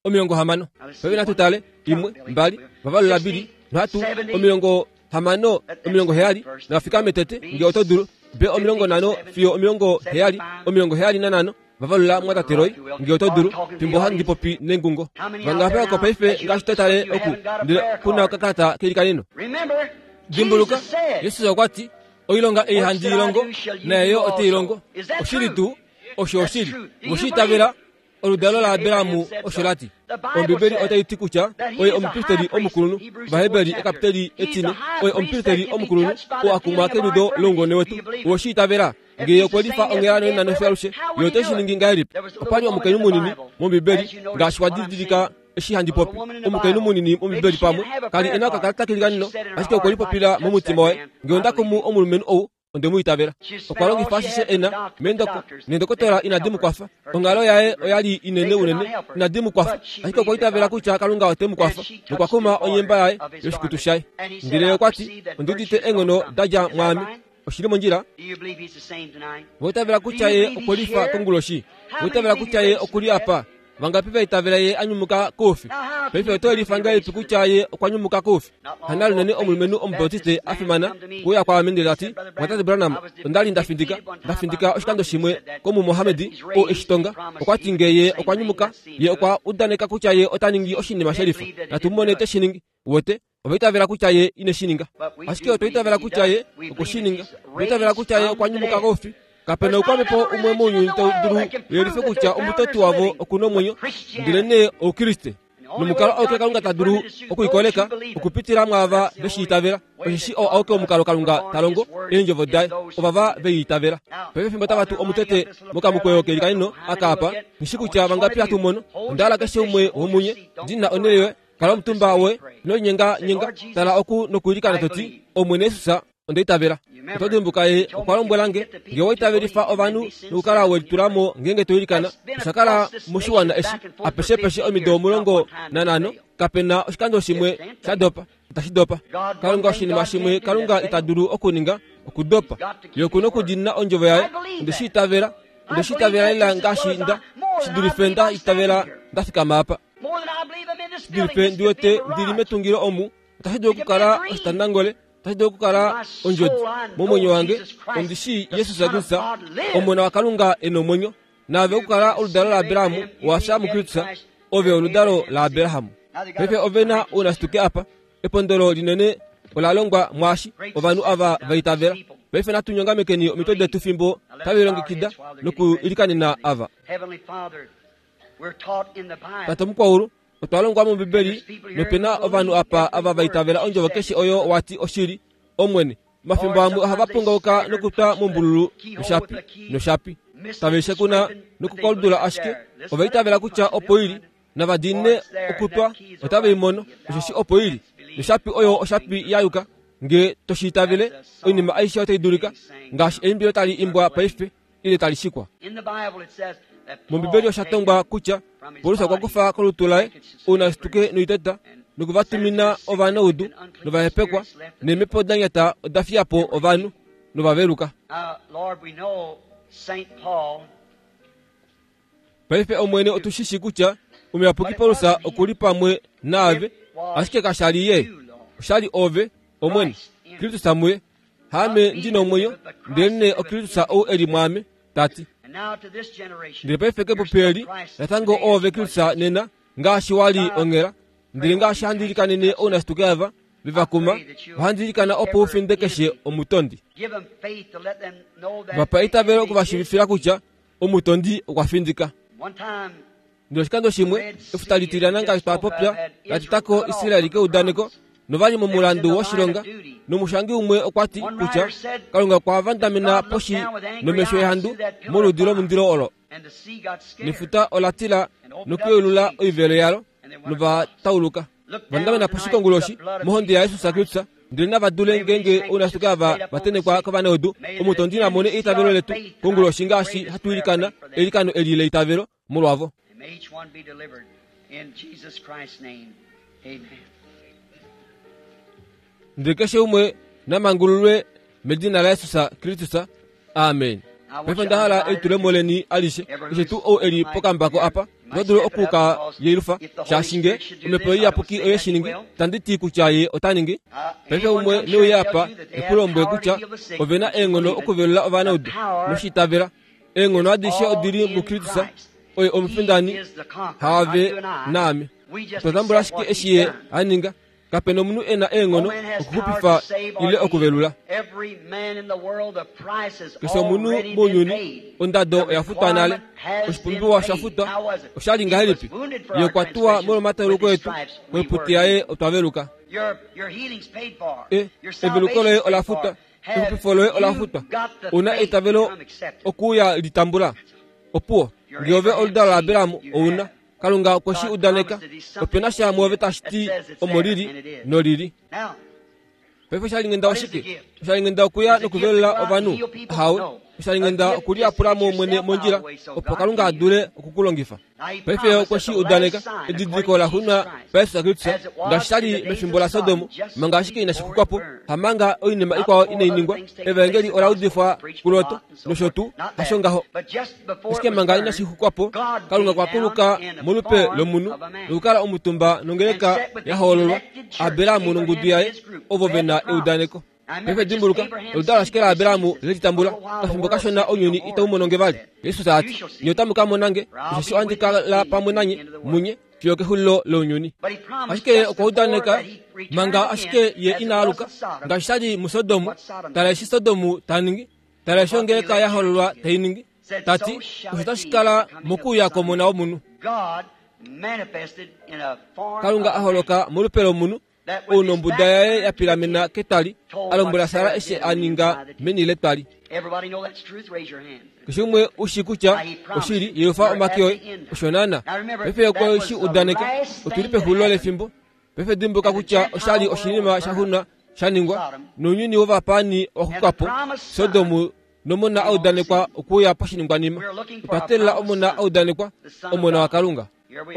[SPEAKER 1] 60. Paife natu tale, imwe, mbali, vavalula bili, nhatu, 60, 70, nava fikame tete, nge oto dulu. B 50 fiyo 70, 75, Vavalula mwatate Roy, nge oto dulu, fimbo handi popi nengungo. Vangapi oko paife ngaashi to tale oku, ndele ku na okakalata keilikaneno? Dimbuluka, Jesus okwa ti, Oilonga ei handi i longo, naye yo ote i longo. Oshili tuu? Osho oshili. Owe shi itavela? Oludalo laAbraham osho la ti. Ombibeli otai ti kutya oye omupristeli omukulunhu. Ovaheberi ekapiteli etine, oye omupristeli omukulunhu oo a kumwa keliudo loungone wetu. Owe shi itavela? Ngee okwe lifa onghela nonena nofyo alushe, ye ote shi ningi ngahelipi? Opa li omukainhu munini mOmbibeli, ngaashi wa didilika eshi handi popi. Omukainhu munini mOmbibeli pamwe ka li e na okakalata kelikanino, ashike okwe lipopila momutima waye, Ngee onda kumu omulumenhu ou, onde mu itavela. Okwa longifa ashishe e na, meendoko, neendokotola inadi mu kwafa. Onghalo yaye oya li inene unene, inadi mu kwafa. Ashike okwa itavela kutya Kalunga ote mu kwafa, nokwa kuma onyemba yaye yoshikutu shaye. Ndele ye okwa ti, Ondi udite eenghono da dja mwaame. Oshi li mondjila? Owa itavela kutya Ye okwe lifa konguloshi? Owa itavela kutya Ye oku li apa? Vangapi va itavela Ye a nyumuka koufi? Paife oto yelifa ngahelipi kutya Ye okwa nyumuka koufi? Hana lunene omulumenhu Omubautiste a fimana kuuya kwaame ndele ta ti, Mwatate Branham, onda li nda findika, nda findika oshikando shimwe kOmumohamedi ou e shi tonga. Okwa ti nge Ye okwa nyumuka, Ye okwa udaneka kutya Ye ota ningi oshinima shelifa. Natu mu mone te shi ningi. Uwete? Ova itavela kutya ye ine shi ninga. Ashike otwa itavela kutya ye okwe shi ninga. Otwa itavela kutya ye okwa nyumuka koufi. Kape na oukwamhepo umwe mounyuni tau dulu u yelife kutya omutoti wavo oku na omwenyo, ndelenee Oukriste. Nomukalo auke Kalunga ta dulu okuikoleka okupitila mwaava ve shi itavela, osheshi oo auke omukalo Kalunga ta longo eendjovo daye, ovava ve i itavela. Paife fimbo tava tu omutete mokamukweyo ke li kanino aka apa, nghi shi kutya vangapi hatu mono. Onda hala keshe umwe womunye, ndi na onhele yoye, kala omutumba woye, ino linyenganyenga, tala oku nokwiilikana to ti, Omwene Jesus, onda itavela. Oto dimbuka ye okwa lombwela nge, nge wa itavelifa ovanhu nokukala we litula mo ngeenge to ilikana, osha kala moshiwana eshi apeshepeshe omido 15, kape na oshikando shimwe sha dopa. Itashi dopa. Kalunga oshinima shimwe Kalunga ita dulu okuninga, okudopa. Ye oku nokudiinina ondjovo yaye. Onde shi itavela. Onde shi itavela lela ngaashi nda, shi dulife nda itavela nda fikama apa. Shi dulife ndi wete ndi li metungilo omu, otashi dulu okukala oshitandangole. Otashi dulu okukala ondjodi momwenyo wange. Ondi shii Jesus Kristus, Omona waKalunga e nomwenyo. Naave okukala oludalo laAbraham wa fya muKristus, ove oludalo laAbraham. Paife ove na ounashituke apa. Epondolo linene ola longwa mwaashi ovanhu ava va itavela. Paife natu nyongamekeni omitwe detu fimbo tave lilongekida nokuilikanena ava. Tate Mukwaulu, Otwa longwa mOmbibeli, nope na ovanhu apa ava va itavela ondjovo keshe oyo wa ti oshili, Omwene. Omafimbo amwe ohava pongauka nokutwa mombululu noshapi, noshapi. Tave shekuna nokukoludula ashike ova itavela kutya opo i li, nava diinine okutwa otave i mono, osheshi opo i li. Noshapi oyo oshapi ya yuka. Nge to shi itavele, oinima aishe otai dulika, ngaashi eimbilo tali imbwa paife. ile tali shikwa. MOmbibeli osha tongwa kutya Paulus okwa kufa kolutu laye ounashituke noiteta noku va tumina ovanaudu novahepekwa, neemhepo da nyata oda fiya po ovanhu nova veluka. Paife Omwene otu shi shii kutya omuyapuki Paulus oku li pamwe naave, ashike kasha li ye, osha li ove, Omwene, Kristus muye. Haame ndi nomwenyo, ndelenee oKristus ou e li mwaame, ta ti. Ndele paife kepupi eli, natango oove Kristus nena, ngaashi wa li onghela. Ndele ngaashi handi ilikanene ounashituke ava, ve va kuma, ohandi ilikana opo u finde keshe omutondi. Va pa eitavelo oku va shiivifila kutya omutondi okwa findika. Ndele oshikando shimwe, efuta litilyana ngaashi twa popya, la teta ko Israel keudaneko, nova li momulandu woshilonga. Nomushangi umwe okwa ti kutya Kalunga okwa vandamena poshi nomesho ehandu moludi lomundilo olo. Nefuta ola tila nokuyeulula oivelo yalo, nova tauluka. Vandamena poshi konguloshi mohonde yaJesus Kristus, ndele nava dule ngeenge ounashituke ava va tenekwa kovanaudu, omutondi na mone eitavelo letu konguloshi ngaashi hatu ilikana eilikano eli leitavelo molwavo. Ndele keshe umwe na mangululwe medina laJesus Kristus. Amen. Paife onda hala elitulemo leni alishe, keshe tuu ou e li pokambako apa, ota dulu oku ka yelifa, shaashi nge Omhepo Iyapuki oye shi ningi, itandi ti kutya Ye ota ningi. Paife umwe ne uye apa e ku lombwele kutya ove na eenghono okuvelula ovanaudu, noshi itavela. Eenghono adishe odi li muKristus, oye omufindani, haave naame. Otwa tambula ashike eshi Ye a ninga. Kape na omunhu e na eenghono okuxupifa ile okuvelula. Keshe omunhu mounyuni, ondado oya futwa nale. Oshipumbiwa osha futwa. Osha li ngahelipi? Ye okwa tuwa molwomatauluko etu, koiputi yaye otwa veluka. E, eveluko loye ola futwa. Exupifo loye ola futwa. Ou na eitavelo okuuya li tambula. Opuwo. Nge ove oludalo laAbraham, ou na. Kalunga okwe shi udaneka. Ope na sha muove tashi ti omo li li, noli li. Paife oshalinghenda oshike? Oshalinghenda okuya nokuvelula ovanhu? Ahawe. Oshalinghenda okuliyapula mo mwene mondjila opo Kalunga a dule oku ku longifa. Paife ye okwe shi udaneka, edidiliko la xunwa paJesus Kristus, ngaashi sha li mefimbo laSodom, manga ashike inashi xukwa po, hamanga oinima ikwao inai ningwa, Evaengeli ola udifwa kuLot, nosho tuu, hasho ngaho. Ashike manga inashi xukwa po, Kalunga okwa kuluka molupe lomunhu nokukala omutumba nongeleka ya hoololwa, Abraham nongudu yaye, ovo ve na eudaneko. Paife dimbuluka, oludalo ashike laAbraham le li tambula. Okafimbo kashona ounyuni itau mono nge vali. Jesus a ti, Nye otamu ka mona nge, osheshi ohandi kala pamwe nanye, munye, fiyo kexulilo lounyuni. Ashike ye okwa udaneka manga ashike ye ina aluka, ngaashi sha li muSodom, tala eshi Sodom ta ningi, Tala eshi ongeleka ya hololwa tai ningi, ta ti, Osho otashi kala mokuuya kwOmona wOmunhu. Kalunga a holoka molupe lomunhu, ou nombuda yaye ya pilamena ketwali, a lombwela Sara eshi a ninga meni letwali. Keshe umwe u shi kutya oshili, yelufa omake oye. Osho naana. Paife okwe shi udaneka. Otu li pexulilo lefimbo. Paife dimbuluka kutya osha li oshinima sha xuna sha ningwa, nounyuni wovapaani owa xuka po, Sodom nomona a udanekwa okuuya poshiningwanima. Otwa teelela omona a udanekwa, Omona waKalunga.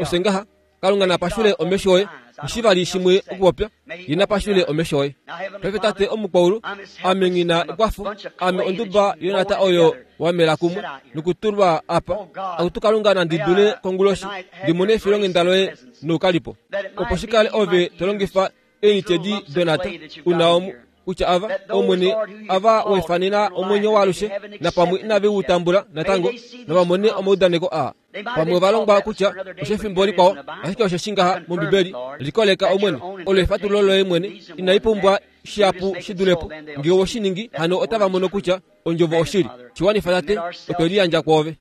[SPEAKER 1] Ofye ngaha, Kalunga na pashule omesho oye. Nghi vali shimwe okupopya, Ye na pashule omesho oye. Paife Tate omukwaulu, ame nghi na ekwafo, ame onduba yonata oyo wa mela kumwe nokutulwa apa. Akutu Kalunga nandi dule konguloshi ndi mone efilonghenda loye noukalipo, opo shi kale ove to longifa eenyitedi donata u na omu, kutya ava, Omwene, ava we fanena omwenyo waalushe, napamwe inave u tambula natango, nava mone omaudaneko aa. Pamwe ova longwa kutya oshefimbo likwao, ashike osheshi ngaha mOmbibeli, likoleka Omwene, olo efatululo loye mwene, inai pumbwa shihapu shi dule po. Nge owe shi ningi, hano otava mono kutya Ondjovo oshili. Shi wanifa, Tate, otwe liyandja kwoove.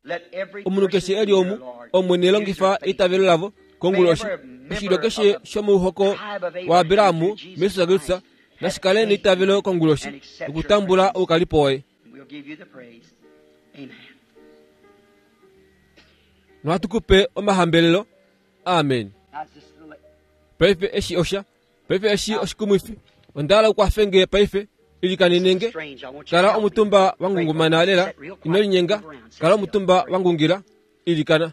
[SPEAKER 1] Omunhu keshe e li omu, Omwene, longifa eitavelo lavo konguloshi. Oshilyo keshe shomouhoko waAbraham muJesus Kristus nashi kale neitavelo konguloshi nokutambula oukalipo woye. Nohatu ku pe omahambelelo. Amen. Paife eshi osha Paife eshi oshikumwifi. Onda hala u kwafe nge paife. Ilikanene nge. Kala omutumba wa ngungumana lela. Ino linyenga. Kala omutumba wa ngungila. Ilikana.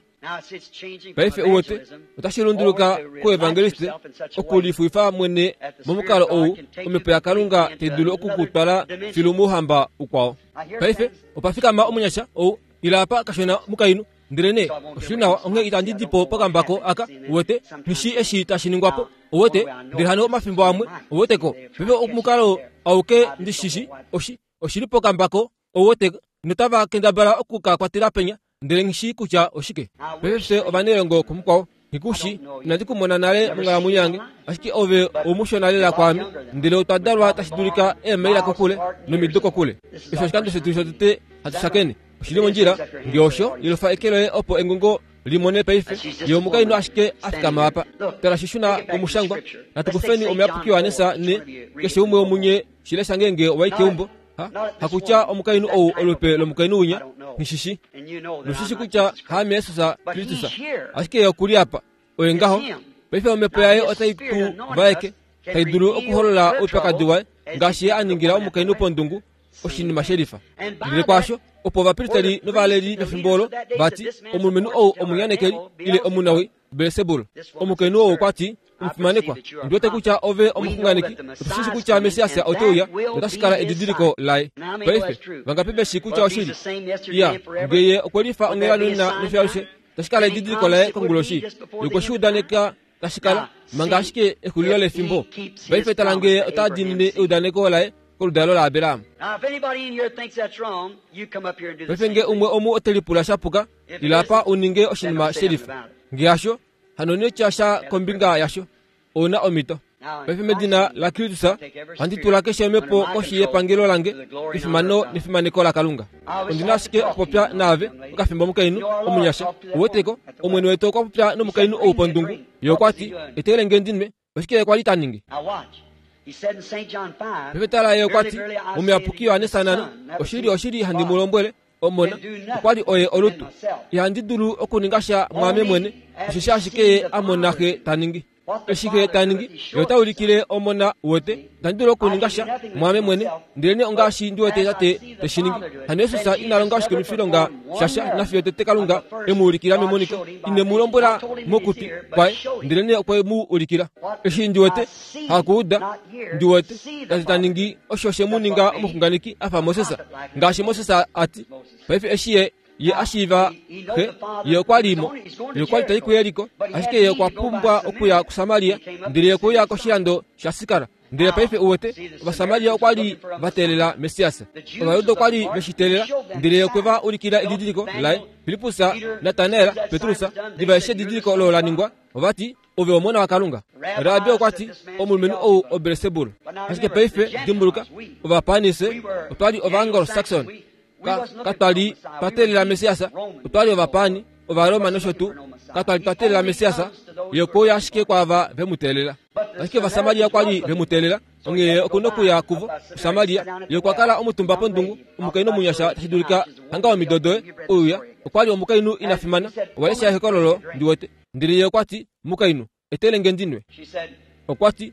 [SPEAKER 1] Paife u wete, otashi lunduluka kuevangeliste okulifuifa mwene momukalo ou Omhepo yaKalunga tai dulu oku ku twala filu mouhamba ukwao. Paife, opa fikama omunyasha ou, ila apa kashona mukainhu. Ndelenee oshi li nawa, onghee itandi di po pokambako aka, uwete, nghi shii eshi tashi ningwa po, uwete. Ndele hano omafimbo amwe, uwete ko, paife omukalo auke ndi shi shii, oshi, oshi li pokambako, uwete, notava kendabala oku ka kwatela penya, ndele nghi shii kutya oshike. Paife fye ovanailongo kumukwao, nghi ku shii, inandi ku mona nale monghalamwenyo yange, ashike ove oumushona lela kwaame, ndele otwa dalwa tashi dulika eemaila kokule nomido kokule. Eshi oshikando shetu shotete hatu shakene. Oshi li mondjila nge osho, yelufa eke loye opo engungo li mone paife. Ye omukainhu ashike a fikama apa. Tala shi shuna komushangwa. Natu kufeni omuyapuki Johannes ne keshe umwe womunye shi lesha ngeenge owa i keumbo. Ha, hakutya omukainhu ou olupe lomukainhu winya, nghi shi shi. Noshi shi kutya haame Jesus Kristus. Ashike ye oku li apa. Oye ngaho. Paife omhepo yaye otai tu vaeke, tai dulu okuholola oupyakadi waye ngaashi ye a ningila omukainhu pondungu oshinima shelifa. Ndele kwaasho, opo ovapristeli novaleli vefimbo olo va ti, Omulumenhu ou omunyanekeli ile omunawii, Belsebul. Omukainhu ou okwa ti, Omufimanekwa, ondi wete kutya ove omuxunganeki. Otu shi shii kutya Messias ote uya, notashi kala edidiliko laye. Paife, vangapi ve shii kutya oshili? Iya, nge ye okwe lifa onghela nonena nefyo alushe, tashi kala edidiliko laye konguloshi. Ye okwe shi udaneka tashi kala, manga ashike exulilo lefimbo. Paife tala nge ota diinine eudaneko laye koludalo laAbraham. Paife nge umwe omu ote lipula sha puka, ila apa u ninge oshinima shelifa. Nge hasho, hano ino tya sha kombinga yasho. Ou na omhito. Paife medina laKristus, ohandi tula keshe omhepo koshi yepangelo lange kefimano nefimaneko laKalunga. Ondi na ashike okupopya naave okafimbo omukainhu omunyasha. Uweteko, Omwene wetu okwa popya nomukainhu ou pondungu. Ye okwa ti, Etele nge ndi nwe. Oshike ye kwa li ta ningi? Paife tala, ye okwa ti, Omuyapuki Johannes nano, oshili, oshili handi mu lombwele, Omona okwa li oye olutu. Ihandi dulu okuninga sha mwaame mwene, osheshi ashike ye a mona Xe ta ningi. Eshi Xe ta ningi, Ye ota ulikile Omona wete. Itandi dulu okuninga sha mwaame mwene, ndelenee ongaashi ndi wete Tate te shi ningi. Hano Jesus ina longa oshikumwifilonga shasha nafiyo tete Kalunga e mu ulikila memoniko. Ine mu lombwela mokutwi kwaye, ndelenee okwe mu ulikila. Eshi ndi wete, hakuuda, ndi wete, Tate ta ningi osho she mu ninga omuxunganeki a fa Moses, ngaashi Moses a ti. Paife eshi ye ye a shiiva xe, ye okwa li mo. Ye okwa li ta i kuJeriko, ashike ye okwa pumbwa okuya kuSamaria, ndele ye okwe uya koshilando shaSikar. Ndele paife uwete, Ovasamaria okwa li va teelela Messias. Ovajuda okwa li ve shi teelela, ndele ye okwe va ulikila edidiliko laye. Filippus, Natanael, Petrus, diva eshi edidiliko olo la ningwa, ova ti, Ove Omona waKalunga. Rabi okwa ti, Omulumenhu ou oBelsebul. Ashike paife, dimbuluka, Ovapaanise, otwa li Ovaanglo-Saxon. Ka, katwa li twa teelela Messias, otwa li Ovapaani, Ovaroma nosho tuu. Katwa li twa teelela Messias, Ye okwe uya ashike kwaava ve mu teelela. Ashike Ovasamaria okwa li ve mu teelela, onghee Ye oku nokuya kuvo, kuSamaria. Ye okwa kala omutumba pondungu, omukainhu omunyasha tashi dulika hanga omido doye, uya. Okwa li omukainhu ina fimana. Owa lesha ehokololo, ndi wete. Ndele Ye okwa ti, Mukainhu, etele nge ndi nwe. Okwa ti,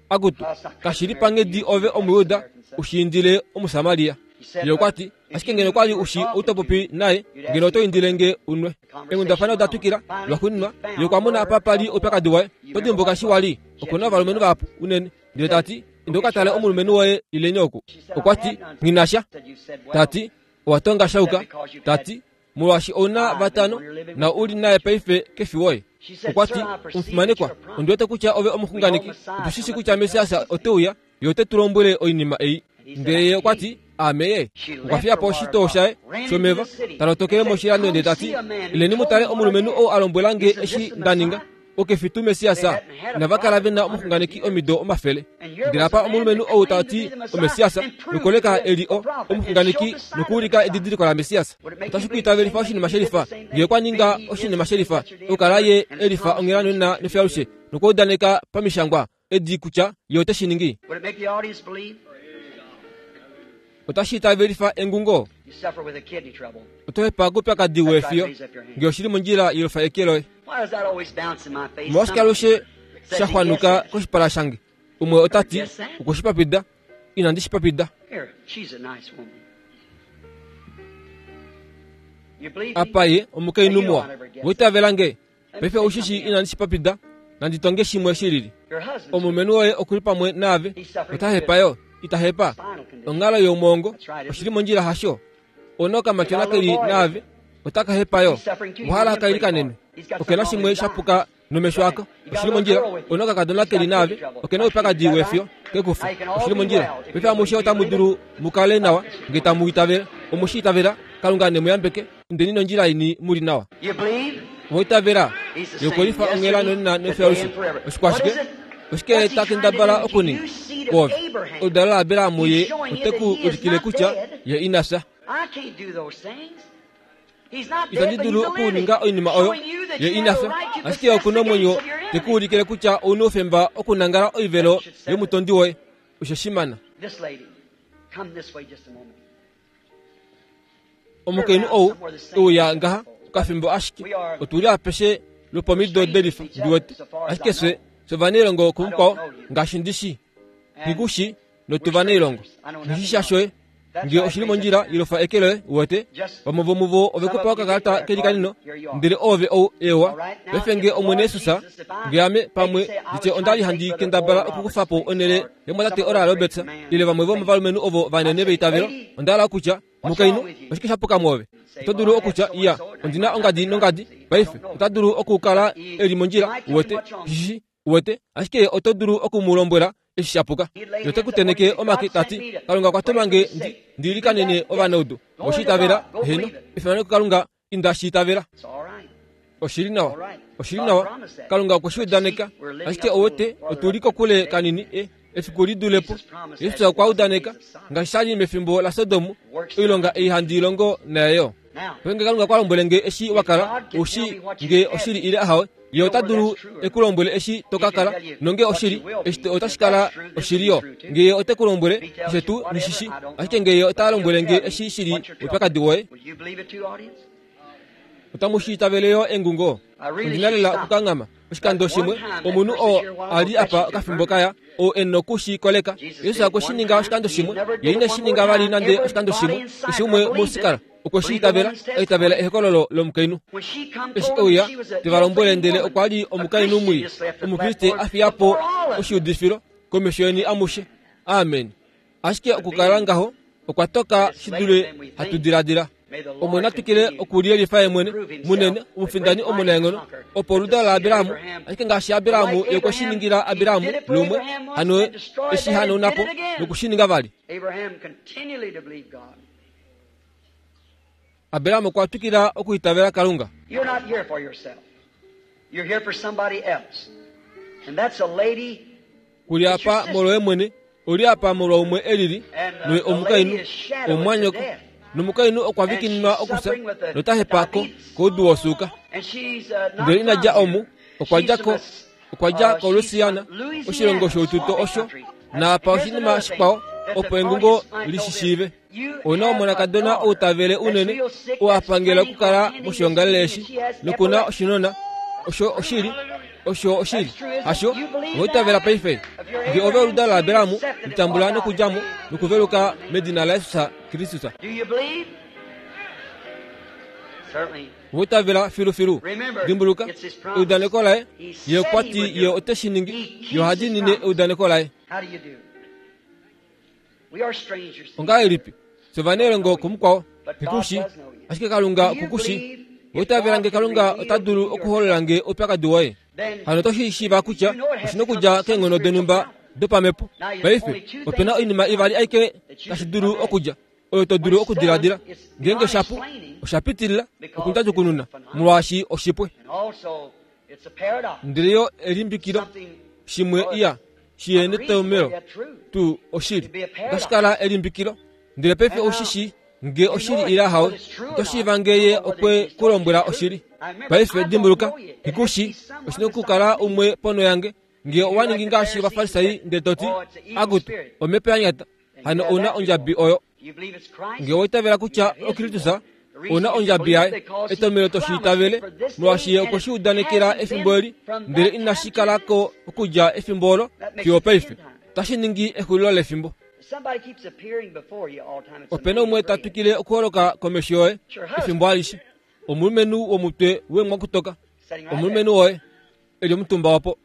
[SPEAKER 1] Akutu, kashi li panghedi ove Omuyuda u shi indile Omusamaria. Ye okwa ti, Ashike ngeno kwa li u shi ou to popi naye, ngeno oto indile nge u nwe. Eenghundafana oda twikila. Lwaxuuninwa, ye okwa mona apa pa li oupyakadi waye. Oto dimbuka eshi wa li? Oku na ovalumenhu vahapu unene. Ndele ta ti, Inda u ka tale omulumenhu woye ileni oku. Okwa ti, Nghi na sha. Ta ti, Owa tonga sha yuka. Ta ti, molwaashi ou na vatano na u li naye paife ke fi woye. Okwa ti, Omufimanekwa, ondi wete kutya ove omuxunganeki. Otu shi shii kutya Messias ote uya, ye ote tu lombwele oinima ei. Ndele ye okwa ti, Aame ye. Okwa fiya po oshitoo shaye shomeva, ta lotokele moshilando ndele ta ti, Ileni mu tale omulumenhu ou a lombwela nge eshi nda ninga. Oke fi tuu Messias? Inava kala ve na omuxunganeki omido omafele. Ndele apa omulumenhu ou ta ti oMessias, nokoleka e li o, omuxunganeki nokuulika edidiliko laMessias. Otashi ku itavelifa oshinima shelifa, nge okwa ninga oshinima shelifa, okukala ye e lifa onghela nonena nofyalushe, nokwa udaneka pamishangwa edi kutya ye ote shi ningi. Otashi itavelifa engungo. Oto hepa koupyakadi weefiyo nge oshi li mondjila yelufa eke loye. Omolwashike alushe sha xwanuka koshipala shange? Umwe ota ti, Okwe shi papida. Inandi shi papida. Apa ye omukainhu muwa. Owa itavela nge? Paife ou shi shii inandi shi papida, nandi tonge shimwe shi lili. Omulumenhu woye oku li pamwe naave, ota hepa yo, ita hepa. Onghalo youmwongo, oshi li mondjila hasho? Ona okamatyona ke li naave, ota ka hepa yo. Owa hala ka ilikanenwe. Oke na shimwe sha puka nomesho ako, oshi li mondjila. Ona okakadona ke li naave, oke na oupyakadi wefyo, ke ku fa. Oshi li mondjila. Paife amushe otamu dulu mu kale nawa, nge tamu itavele. Omu shi itavela? Kalunga ne mu yambeke. Indeni nondjila yeni mu li nawa. Owa itavela yokulifa onghela nonena nefyalushe. Oshikwashike? Oshike ta kendabala okuninga? Kwoove, oludalo laAbraham ye ote ku ulikile kutya ye ina fya. Itandi dulu okuninga oinima oyo ye ina fya, ashike oku na omwenyo te ku ulikile kutya ou na oufemba okunangala oivelo yomutondi woye. Osho shimana. Omukainhu ou e uya ngaha okafimbo ashike otu li apeshe lwopomido delifa ndi wete ashike fye fye ovanailongo kumukwao ngaashi ndi shi nghi ku shi notu vanailongo nghi shi sha shoye nge oshi li mondjila ilofa eke loye uwete vamwe vomuvo ove ku pa okakalata kelikanino ndele oove ou ewa paife nge omwene yesus nge ame pamwe nditye onda li handi kendabala okukufa po onhele yomwatate Oral Roberts ile vamwe vomovalumenhu ovo vanene veitavelo, onda hala okutya, Mukainhu, oshike sha puka mwoove? Oto dulu okutya, Iya, ondi na ongadi nongadi. Paife, ota dulu okukala e li mondjila, uwete, shishi, uwete, ashike oto dulu oku mu lombwela eshi sha puka. Ye ote ku teneke omake, ta ti, Kalunga okwa tuma nge ndi, ndi ilikanene ovanaudu. Owe shi itavela? Heeno. Efimano kuKalunga, inda shi itavela. Oshi li nawa. Oshi li nawa. Kalunga okwe shi udaneka. Ashike ouwete, otu li kokule kanini e, efiku li dule po. Jesus okwa udaneka, ngaashi sha li mefimbo laSodom, oilonga ei handi i longo naye yo. Ngeenge Kalunga okwa lombwele nge eshi wa kala, ou shii nge oshili ile ahawe, Ye ota dulu e ku lombwele eshi to ka kala, nonge oshili, eshi otashi kala oshili yo. Nge Ye ote ku lombwele, keshe tuu nghi shi shii, ashike nge Ye ota lombwele nge eshi shi li oupyakadi woye, Otamu shi itavele yo engungo? Ondi na lela okukanghama. Oshikando shimwe, omunhu oo a li apa okafimbo kaya, ou e noku shi koleka. Jesus okwe shi ninga oshikando shimwe, ye ine shi ninga vali nande oshikando shimwe. Keshe umwe muSikar okwe shi itavela, a itavela ehokololo lomukainhu. Eshi e uya, te va lombwele ndele okwa li omukainhu mwii, Omukriste a fiya po oshiudifilo komesho yeni amushe. Amen. Ashike okukala ngaho okwa toka shi dule hatu diladila. Omwene a twikile okuliyelifa ye mwene munene, omufindani omunaenghono, opo oludalo laAbraham, ashike ngaashi Abraham ye okwe shi ningila Abraham lumwe, hano e shi hanauna po noku shi ninga vali. Abraham okwa twikila okuitavela Kalunga.
[SPEAKER 2] You're not here for yourself. You're here for somebody else. And that's a lady
[SPEAKER 1] Ku li apa molwoye mwene, u li apa molwaumwe e lili, noye omukainhu, omumwanyoko. Nomukainhu okwa vikininwa okufya nota hepa ko koudu wosuuka. Ndele ina dja omu, okwa dja ko okwa dja koLouisiana, oshilongo shoututo osho, naapa oshinima shikwao opo engungo li shi shiive. Ou na omonakadona ou ta vele unene, oo a pangela okukala moshiongalele eshi, noku na oshinona. Osho oshili. Osho oshili. Hasho? Owa itavela paife? Nge ove oludalo laAbraham, litambula nokudja mo nokuveluka medina laJesus Kristus. Owa itavela filufilu? Dimbuluka, eudaneko laye, Ye okwa ti Ye ote shi ningi. Ye oha diinine eudaneko laye. Ongahelipi fye ovanailongo kumukwao? Nghi ashike Kalunga oku ku shii. Owa itavela nge Kalunga ota dulu okuholola nge oupyakadi woye? Hano oto shi shiiva kutya oshi na okudja keenghono donhumba dopamhepo. Paife, ope na oinima ivali aike tashi dulu okudja, oyo to dulu okudiladila. Ngeenge shapu, osha pitilila okundjadjukununa, molwaashi oshipwe. Ndele yo elimbikilo, shimwe iya, shi ye netomhelo tuu oshili. Otashi kala elimbikilo. Ndele paife ou shi shii nge oshili ile ahawe. Oto shiiva nge ye okwe ku lombwela oshili. Paife dimbuluka, nghi ku shii, oshi na okukala umwe ponho yange. Nge owa ningi ngaashi Ovafarisai ndele to ti, Akutu, omhepo ya nyata, hano ou na ondjabi oyo. Nge owa itavela kutya oKristus, ou na ondjabi yaye. Etomhelo to shi itavele, molwaashi ye okwe shi udanekela efimbo eli, ndele inashi kala ko okudja efimbo olo fiyo opaife. Otashi ningi exulilo lefimbo. Ope na umwe ta twikile okuholoka komesho yoye efimbo alishe, omulumenhu womutwe weemwakutoka, omulumenhu woye e li omutumba opo.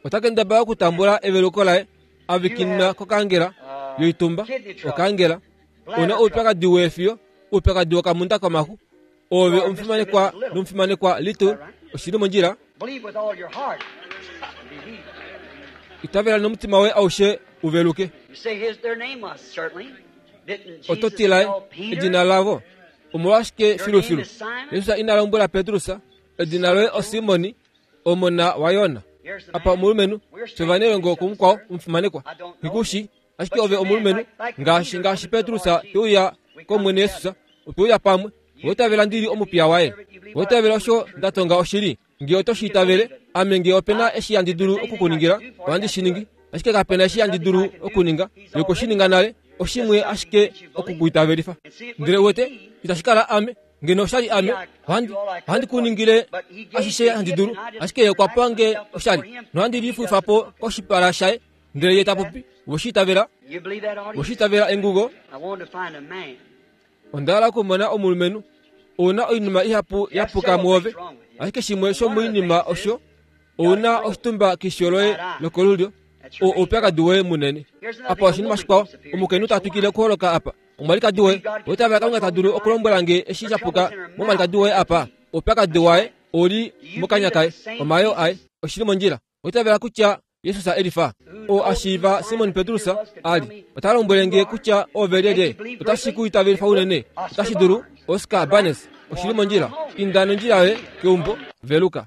[SPEAKER 1] Ota kendabala okutambula eveluko laye a vikinina kokaangela yoitumba, okaangela. Ou na oupyakadi weefiyo, oupyakadi wokamunda komaxu. Oove omufimanekwa nomufimanekwa Little, oshi li mondjila? Itavela nomutima woye aushe u veluke. Oto ti laye edina lavo. Omolwashike filufilu Jesus ina lombwela Petrus, edina loye oSimoni, omona waJona? Apa omulumenhu, fye ovanailongo kumukwao omufimanekwa. Nghi ku shii, ashike ove omulumenhu, ngaashi ngaashi Petrus te uya kOmwene Jesus, otwe uya pamwe. Owa itavela ndi li omupiya waye? Owa itavela osho nda tonga oshili? Nge oto shi itavele, ame nge ope na eshi handi dulu oku ku ningila, ohandi shi ningi. Ashike kape na eshi handi dulu okuninga, ye okwe shi ninga nale, oshimwe ashike oku ku itavelifa. Ndele uwete, itashi kala ame. Ngeno osha li ame, ohandi, ohandi ku ningile ashishe handi dulu. Ashike ye okwa pa nge oshali, nohandi lifuifa po koshipala shaye. Ndele ye ta popi, we shi itavela? We shi itavela engugo? Onda hala okumona omulumenhu. Ou na oinima ihapu ya puka muove, ashike shimwe shomoinima osho ou na oshitumba keisho loye lokolulyo, oo oupyakadi woye munene. Apa oshinima shikwao, omukainhu ta twikile okuholoka apa, omwalikadi woye. Oitavela Kalunga ta dulu okulombwela nge eshi sha puka momwalikadi woye apa? Oupyakadi waye ou li mokanya kaye, omayoo aye. Oshi li mondjila. Oitavela kutya Jesus e lifa, oo a shiiva Simon Petrus a li, ota lombwele nge kutya ove lyelye. Otashi ku itavelifa unene. Otashi dulu. Oscar Barnes, oshi li mondjila. Inda nondjila yoye keumbo. Veluka.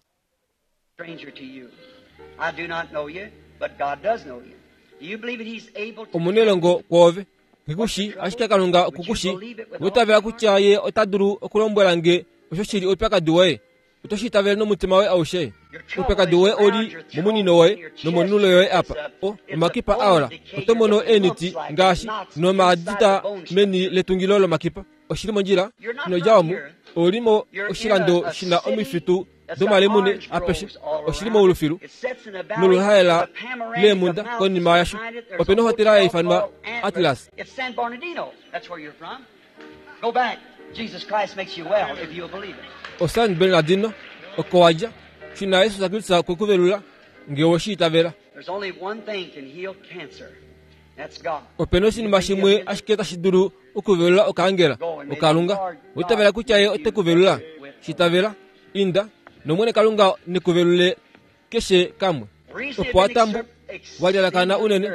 [SPEAKER 1] Omunelongo kwoove. Nghi ku shii, ashike Kalunga oku ku shii. Owa itavela kutya Ye ota dulu okulombwela nge osho shi li oupyakadi woye? Oto shi itavele nomutima woye aushe? Oupyakadi woye ou li momunino woye nomonulo yoye apa. O, omakipa a ola. Oto mono eeniti ngaashi nomaadita meni letungilo lomakipa. Oshi li mondjila. Ino dja omu. Ou li mo oshilando shi na omifitu domalemune apeshe. Oshi li moulufilu noluhaela leemhunda konima yasho. Ope na ohotela ya ifanwa Atlas. OSan Bernardino, oko wa dja. Shuna Jesus Kristus okwe ku velula, nge owe shi itavela. Ope na oshinima shimwe ashike tashi dulu okuvelula okaangela, oKalunga. Owa itavela kutya Ye ote ku velula? Shi itavela. Inda, nOmwene Kalunga ne ku velule keshe kamwe. Opo wa tambu, wa lyalakana unene,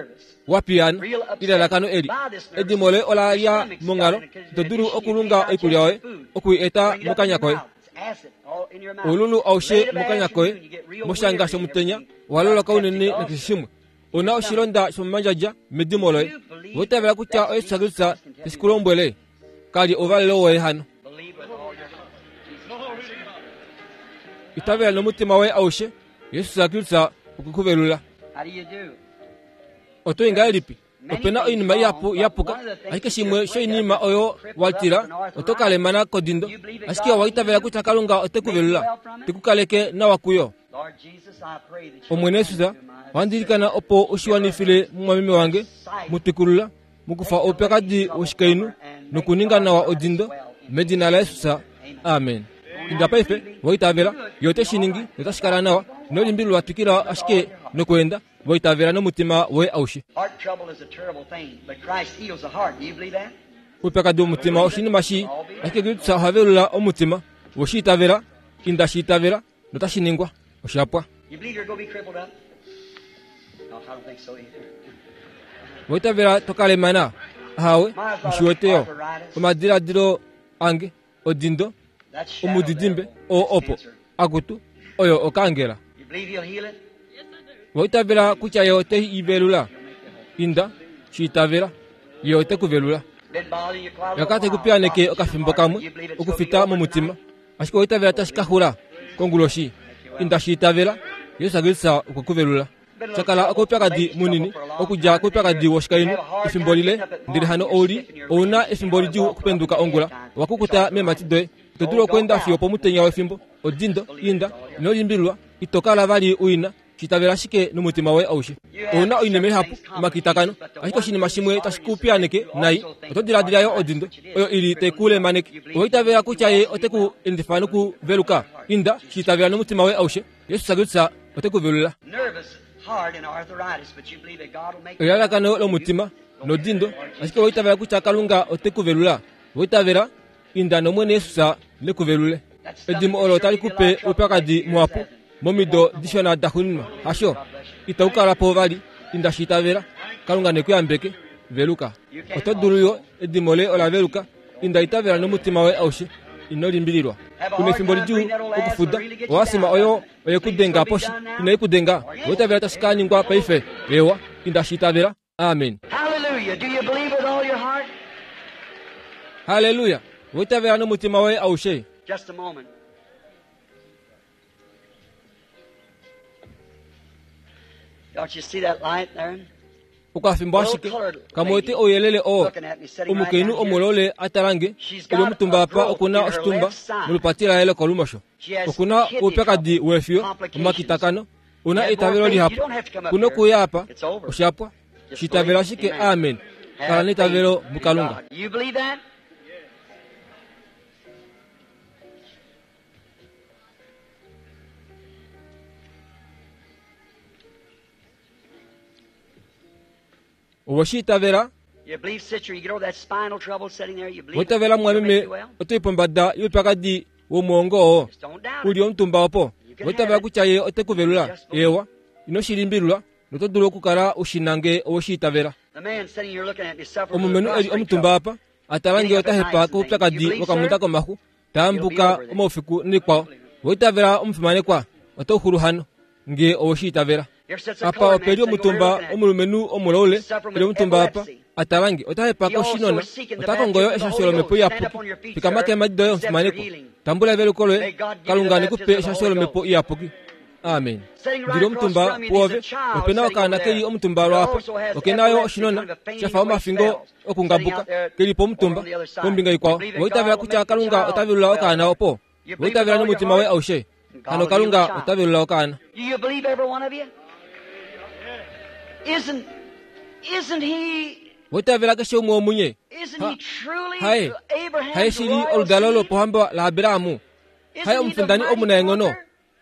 [SPEAKER 1] wa piyaana, elalakano eli. Edimo loye ola lya monghalo, ito dulu okulunga oikulya yoye, oku i eta mokanya koye. Oululu aushe mokanya koye, moshanga shomutenya, owa loloka unene nakeshe shimwe. U na oshilonda shomomandjadja medimo loye. Owa itavela kutya oJesus Kristus te shi ku lombwele? Ka li ouvalelo woye hano. Itavela nomutima woye aushe, Jesus Kristus okwe ku velula. Oto i ngahelipi? Ope na oinima ihapu ya puka, ashike shimwe shoinima oyo wa tila, oto ka lemana kodindo. Ashike owa itavela kutya Kalunga ote ku velula, te ku kaleke nawa kuyo. Omwene Jesus, ohandi ilikana opo u shi wanifile mumwameme wange, mu twikulula, mu kufa oupyakadi woshikainhu nokuninga nawa odindo, medina laJesus. Amen. Inda paife, wa itavela, Ye ote shi ningi notashi kala nawa. Ino limbililwa, twikila ashike nokweenda, wa itavela nomutima woye aushe. Oupyakadi womutima oshinima shii, ashike Kristus oha velula omutima. We shi itavela? Inda shi itavela. notashi ningwa. Osha pwa. Oitavela to ka lemana? Ahawe, nghi wete yo. Omadiladilo ange, odindo, omudidimbe, oo opo. Akutu, oyo okaangela. Oitavela kutya ye ote i velula? Inda, shi itavela. Ye ote ku velula. Oya te ku piyaneke okafimbo kamwe, okufita momutima. Ashike owa itavela tashi ka xula konguloshi? Inda shi itavela, Jesus Kristus okwe ku velula. Sha kala okoupyakadi munini, okudja koupyakadi woshikainhu efimbo lile, ndele hano ou li, ou na efimbo lidjuu okupenduka ongula. Owa kukuta meemhati doye. Ito dulu okweenda fiyo pomutenya wefimbo. Odindo, inda, ino limbililwa, ito kala vali u i na. Shi itavela ashike nomutima woye aushe. Ou na oinima ihapu, omakitakano, ashike oshinima shimwe tashi ku piyaaneke nai. Oto diladila yo odindo oyo i li tai ku lemaneke. Owa itavela kutya Ye ote ku endifa noku veluka? Inda, shi itavela nomutima woye aushe. Jesus Kristus ote ku velula. Elalakano lomutima nodindo, ashike owa itavela kutya Kalunga ote ku velula? Owa itavela? Inda nOmwene Jesus ne ku velule. Edimo olo otali ku pe oupyakadi muhapu momido dishona da xuninwa, hasho? Itau kala po vali. Inda shi itavela. Kalunga ne ku yambeke. Veluka. Oto dulu yo. Edimo loye ola veluka. Inda itavela nomutima woye aushe. Ino limbililwa. U na efimbo lidjuu okufuda. Oasima oyo oye ku denga poshi. Inai ku denga. Owa itavela tashi ka ningwa paife? Eewa. Inda shi itavela. Amen. Halleluya! Owa itavela nomutima woye aushe?
[SPEAKER 2] Just a moment. Don't you see that light there?
[SPEAKER 1] Okafimbo ashike kamwe wete ouyelele oo omukainhu omulole a tala nge e li omutumba apa oku na oshitumba molupati laye lokolumosho. Oku na oupyakadi weefiyo, omakitakano, U na eitavelo lihapu. Ku nokuuya apa. Osha pwa. Shi itavela ashike. Amen. Kala neitavelo muKalunga. Owe shi itavela? Owa itavela mumwameme oto i pombada youpyakadi womwoongo oo u li omutumba opo? Owa itavela kutya ye ote ku velula? Eewa. Ino shi limbililwa, noto dulu okukala u shi na nge owe shi itavela. Omulumenhu e li omutumba apa, a tala nge ota hepa koupyakadi wokamunda komaxu, ta ambuka omaufiku naikwao. Owa itavela omufimanekwa? Oto xulu hano, nge owe shi itavela. Apa ope li omutumba omulumenhu omulaule e li omutumba apa, a tala nge. Ota hepa koshinona. Ota kongo yo eshasho lOmhepo Iyapuki. Fikama keemhadi doye, omufimanekwa. Tambula eveluko loye. Kalunga ne ku pe eshasho lOmhepo Iyapuki. Amen. Ndi li omutumba puove. Ope na okaana ke li omutumba lwaapa. Oke na yo oshinona, sha fa omafingo okungabuka, ke li pomutumba, kombinga ikwao. Owa itavela kutya Kalunga ota velula okaana opo? Owa itavela nomutima woye aushe? Hano Kalunga ota velula okaana. Owa itavela keshe umwe womunye? Ha, haye, haye shili oludalo lopohamba laAbraham? Haye omufindani omunaenghono?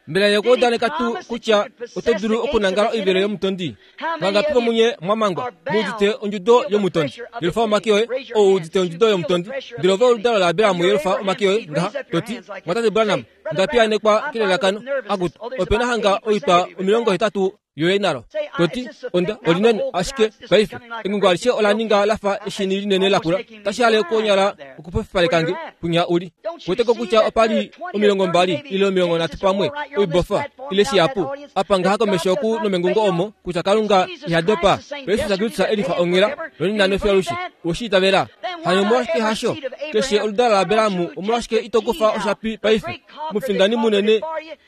[SPEAKER 1] Mbela ye okwa udaneka tuu kutya oto dulu okunangala oivelo yomutondi? Vangapi vomunye mwa mangwa mu udite ondjudo yomutondi? Yelufa omake oye, ou udite ondjudo yomutondi. Ndele ove oludalo laAbraham yelufa omake oye ngaha, to ti, Mwatate Branham, onda piyaanekwa kelelakano. Akutu, ope na hanga oitwa 80. Yoye nalo. To ti, Onda, olinene, ashike paife engungo alishe ola ninga la fa eshini linene lakula, tashi hale konyala okupofipaleka nge kwinya u li. Kuwete ko kutya opa li 20 ile 30 pamwe, oibofa, ile shihapu, apa ngaha komesho oku nomengungo omo, kutya Kalunga iha dopa. Jesus Kristus e lifa onghela, nonena nofiyo alushe. Owe shi itavela? Hano omolwashike hasho? Keshe oludalo laAbraham, omolwashike ito kufa oshapi paife? Omufindani munene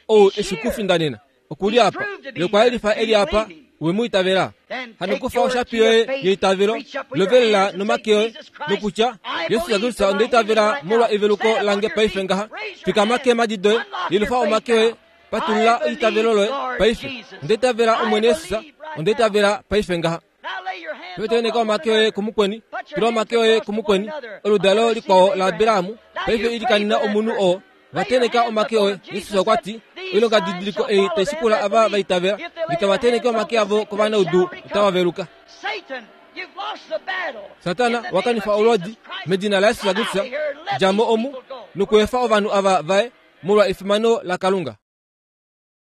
[SPEAKER 1] ou e shi ku findanena. Oku li apa. Ye okwa yelifa e li apa. We mu itavela? Hano kufa oshapi yoye yeitavelo, lovelela nomake oye, nokutya, Jesus Kristus onda itavela molwa eveluko lange paife ngaha. Fikama keemhadi doye, yelufa omake oye, patulula eitavelo loye paife. Onda itavela Omwene Jesus, onda itavela paife ngaha. Paife omake oye kumukweni, tula omake oye kumukweni, oludalo likwao laAbraham. Paife ilikanena omunhu oo. Va teneka omake oye. Jesus okwa ti, Oilonga didiliko ei tai shikula ava va itavela, nge tava teneke omake avo kovanaudu otava veluka. Satana, wa kanifa olwoodi, medina laJesus Kristus, dja mo omu, nokuefa ovanhu ava vaye, molwa efimano laKalunga.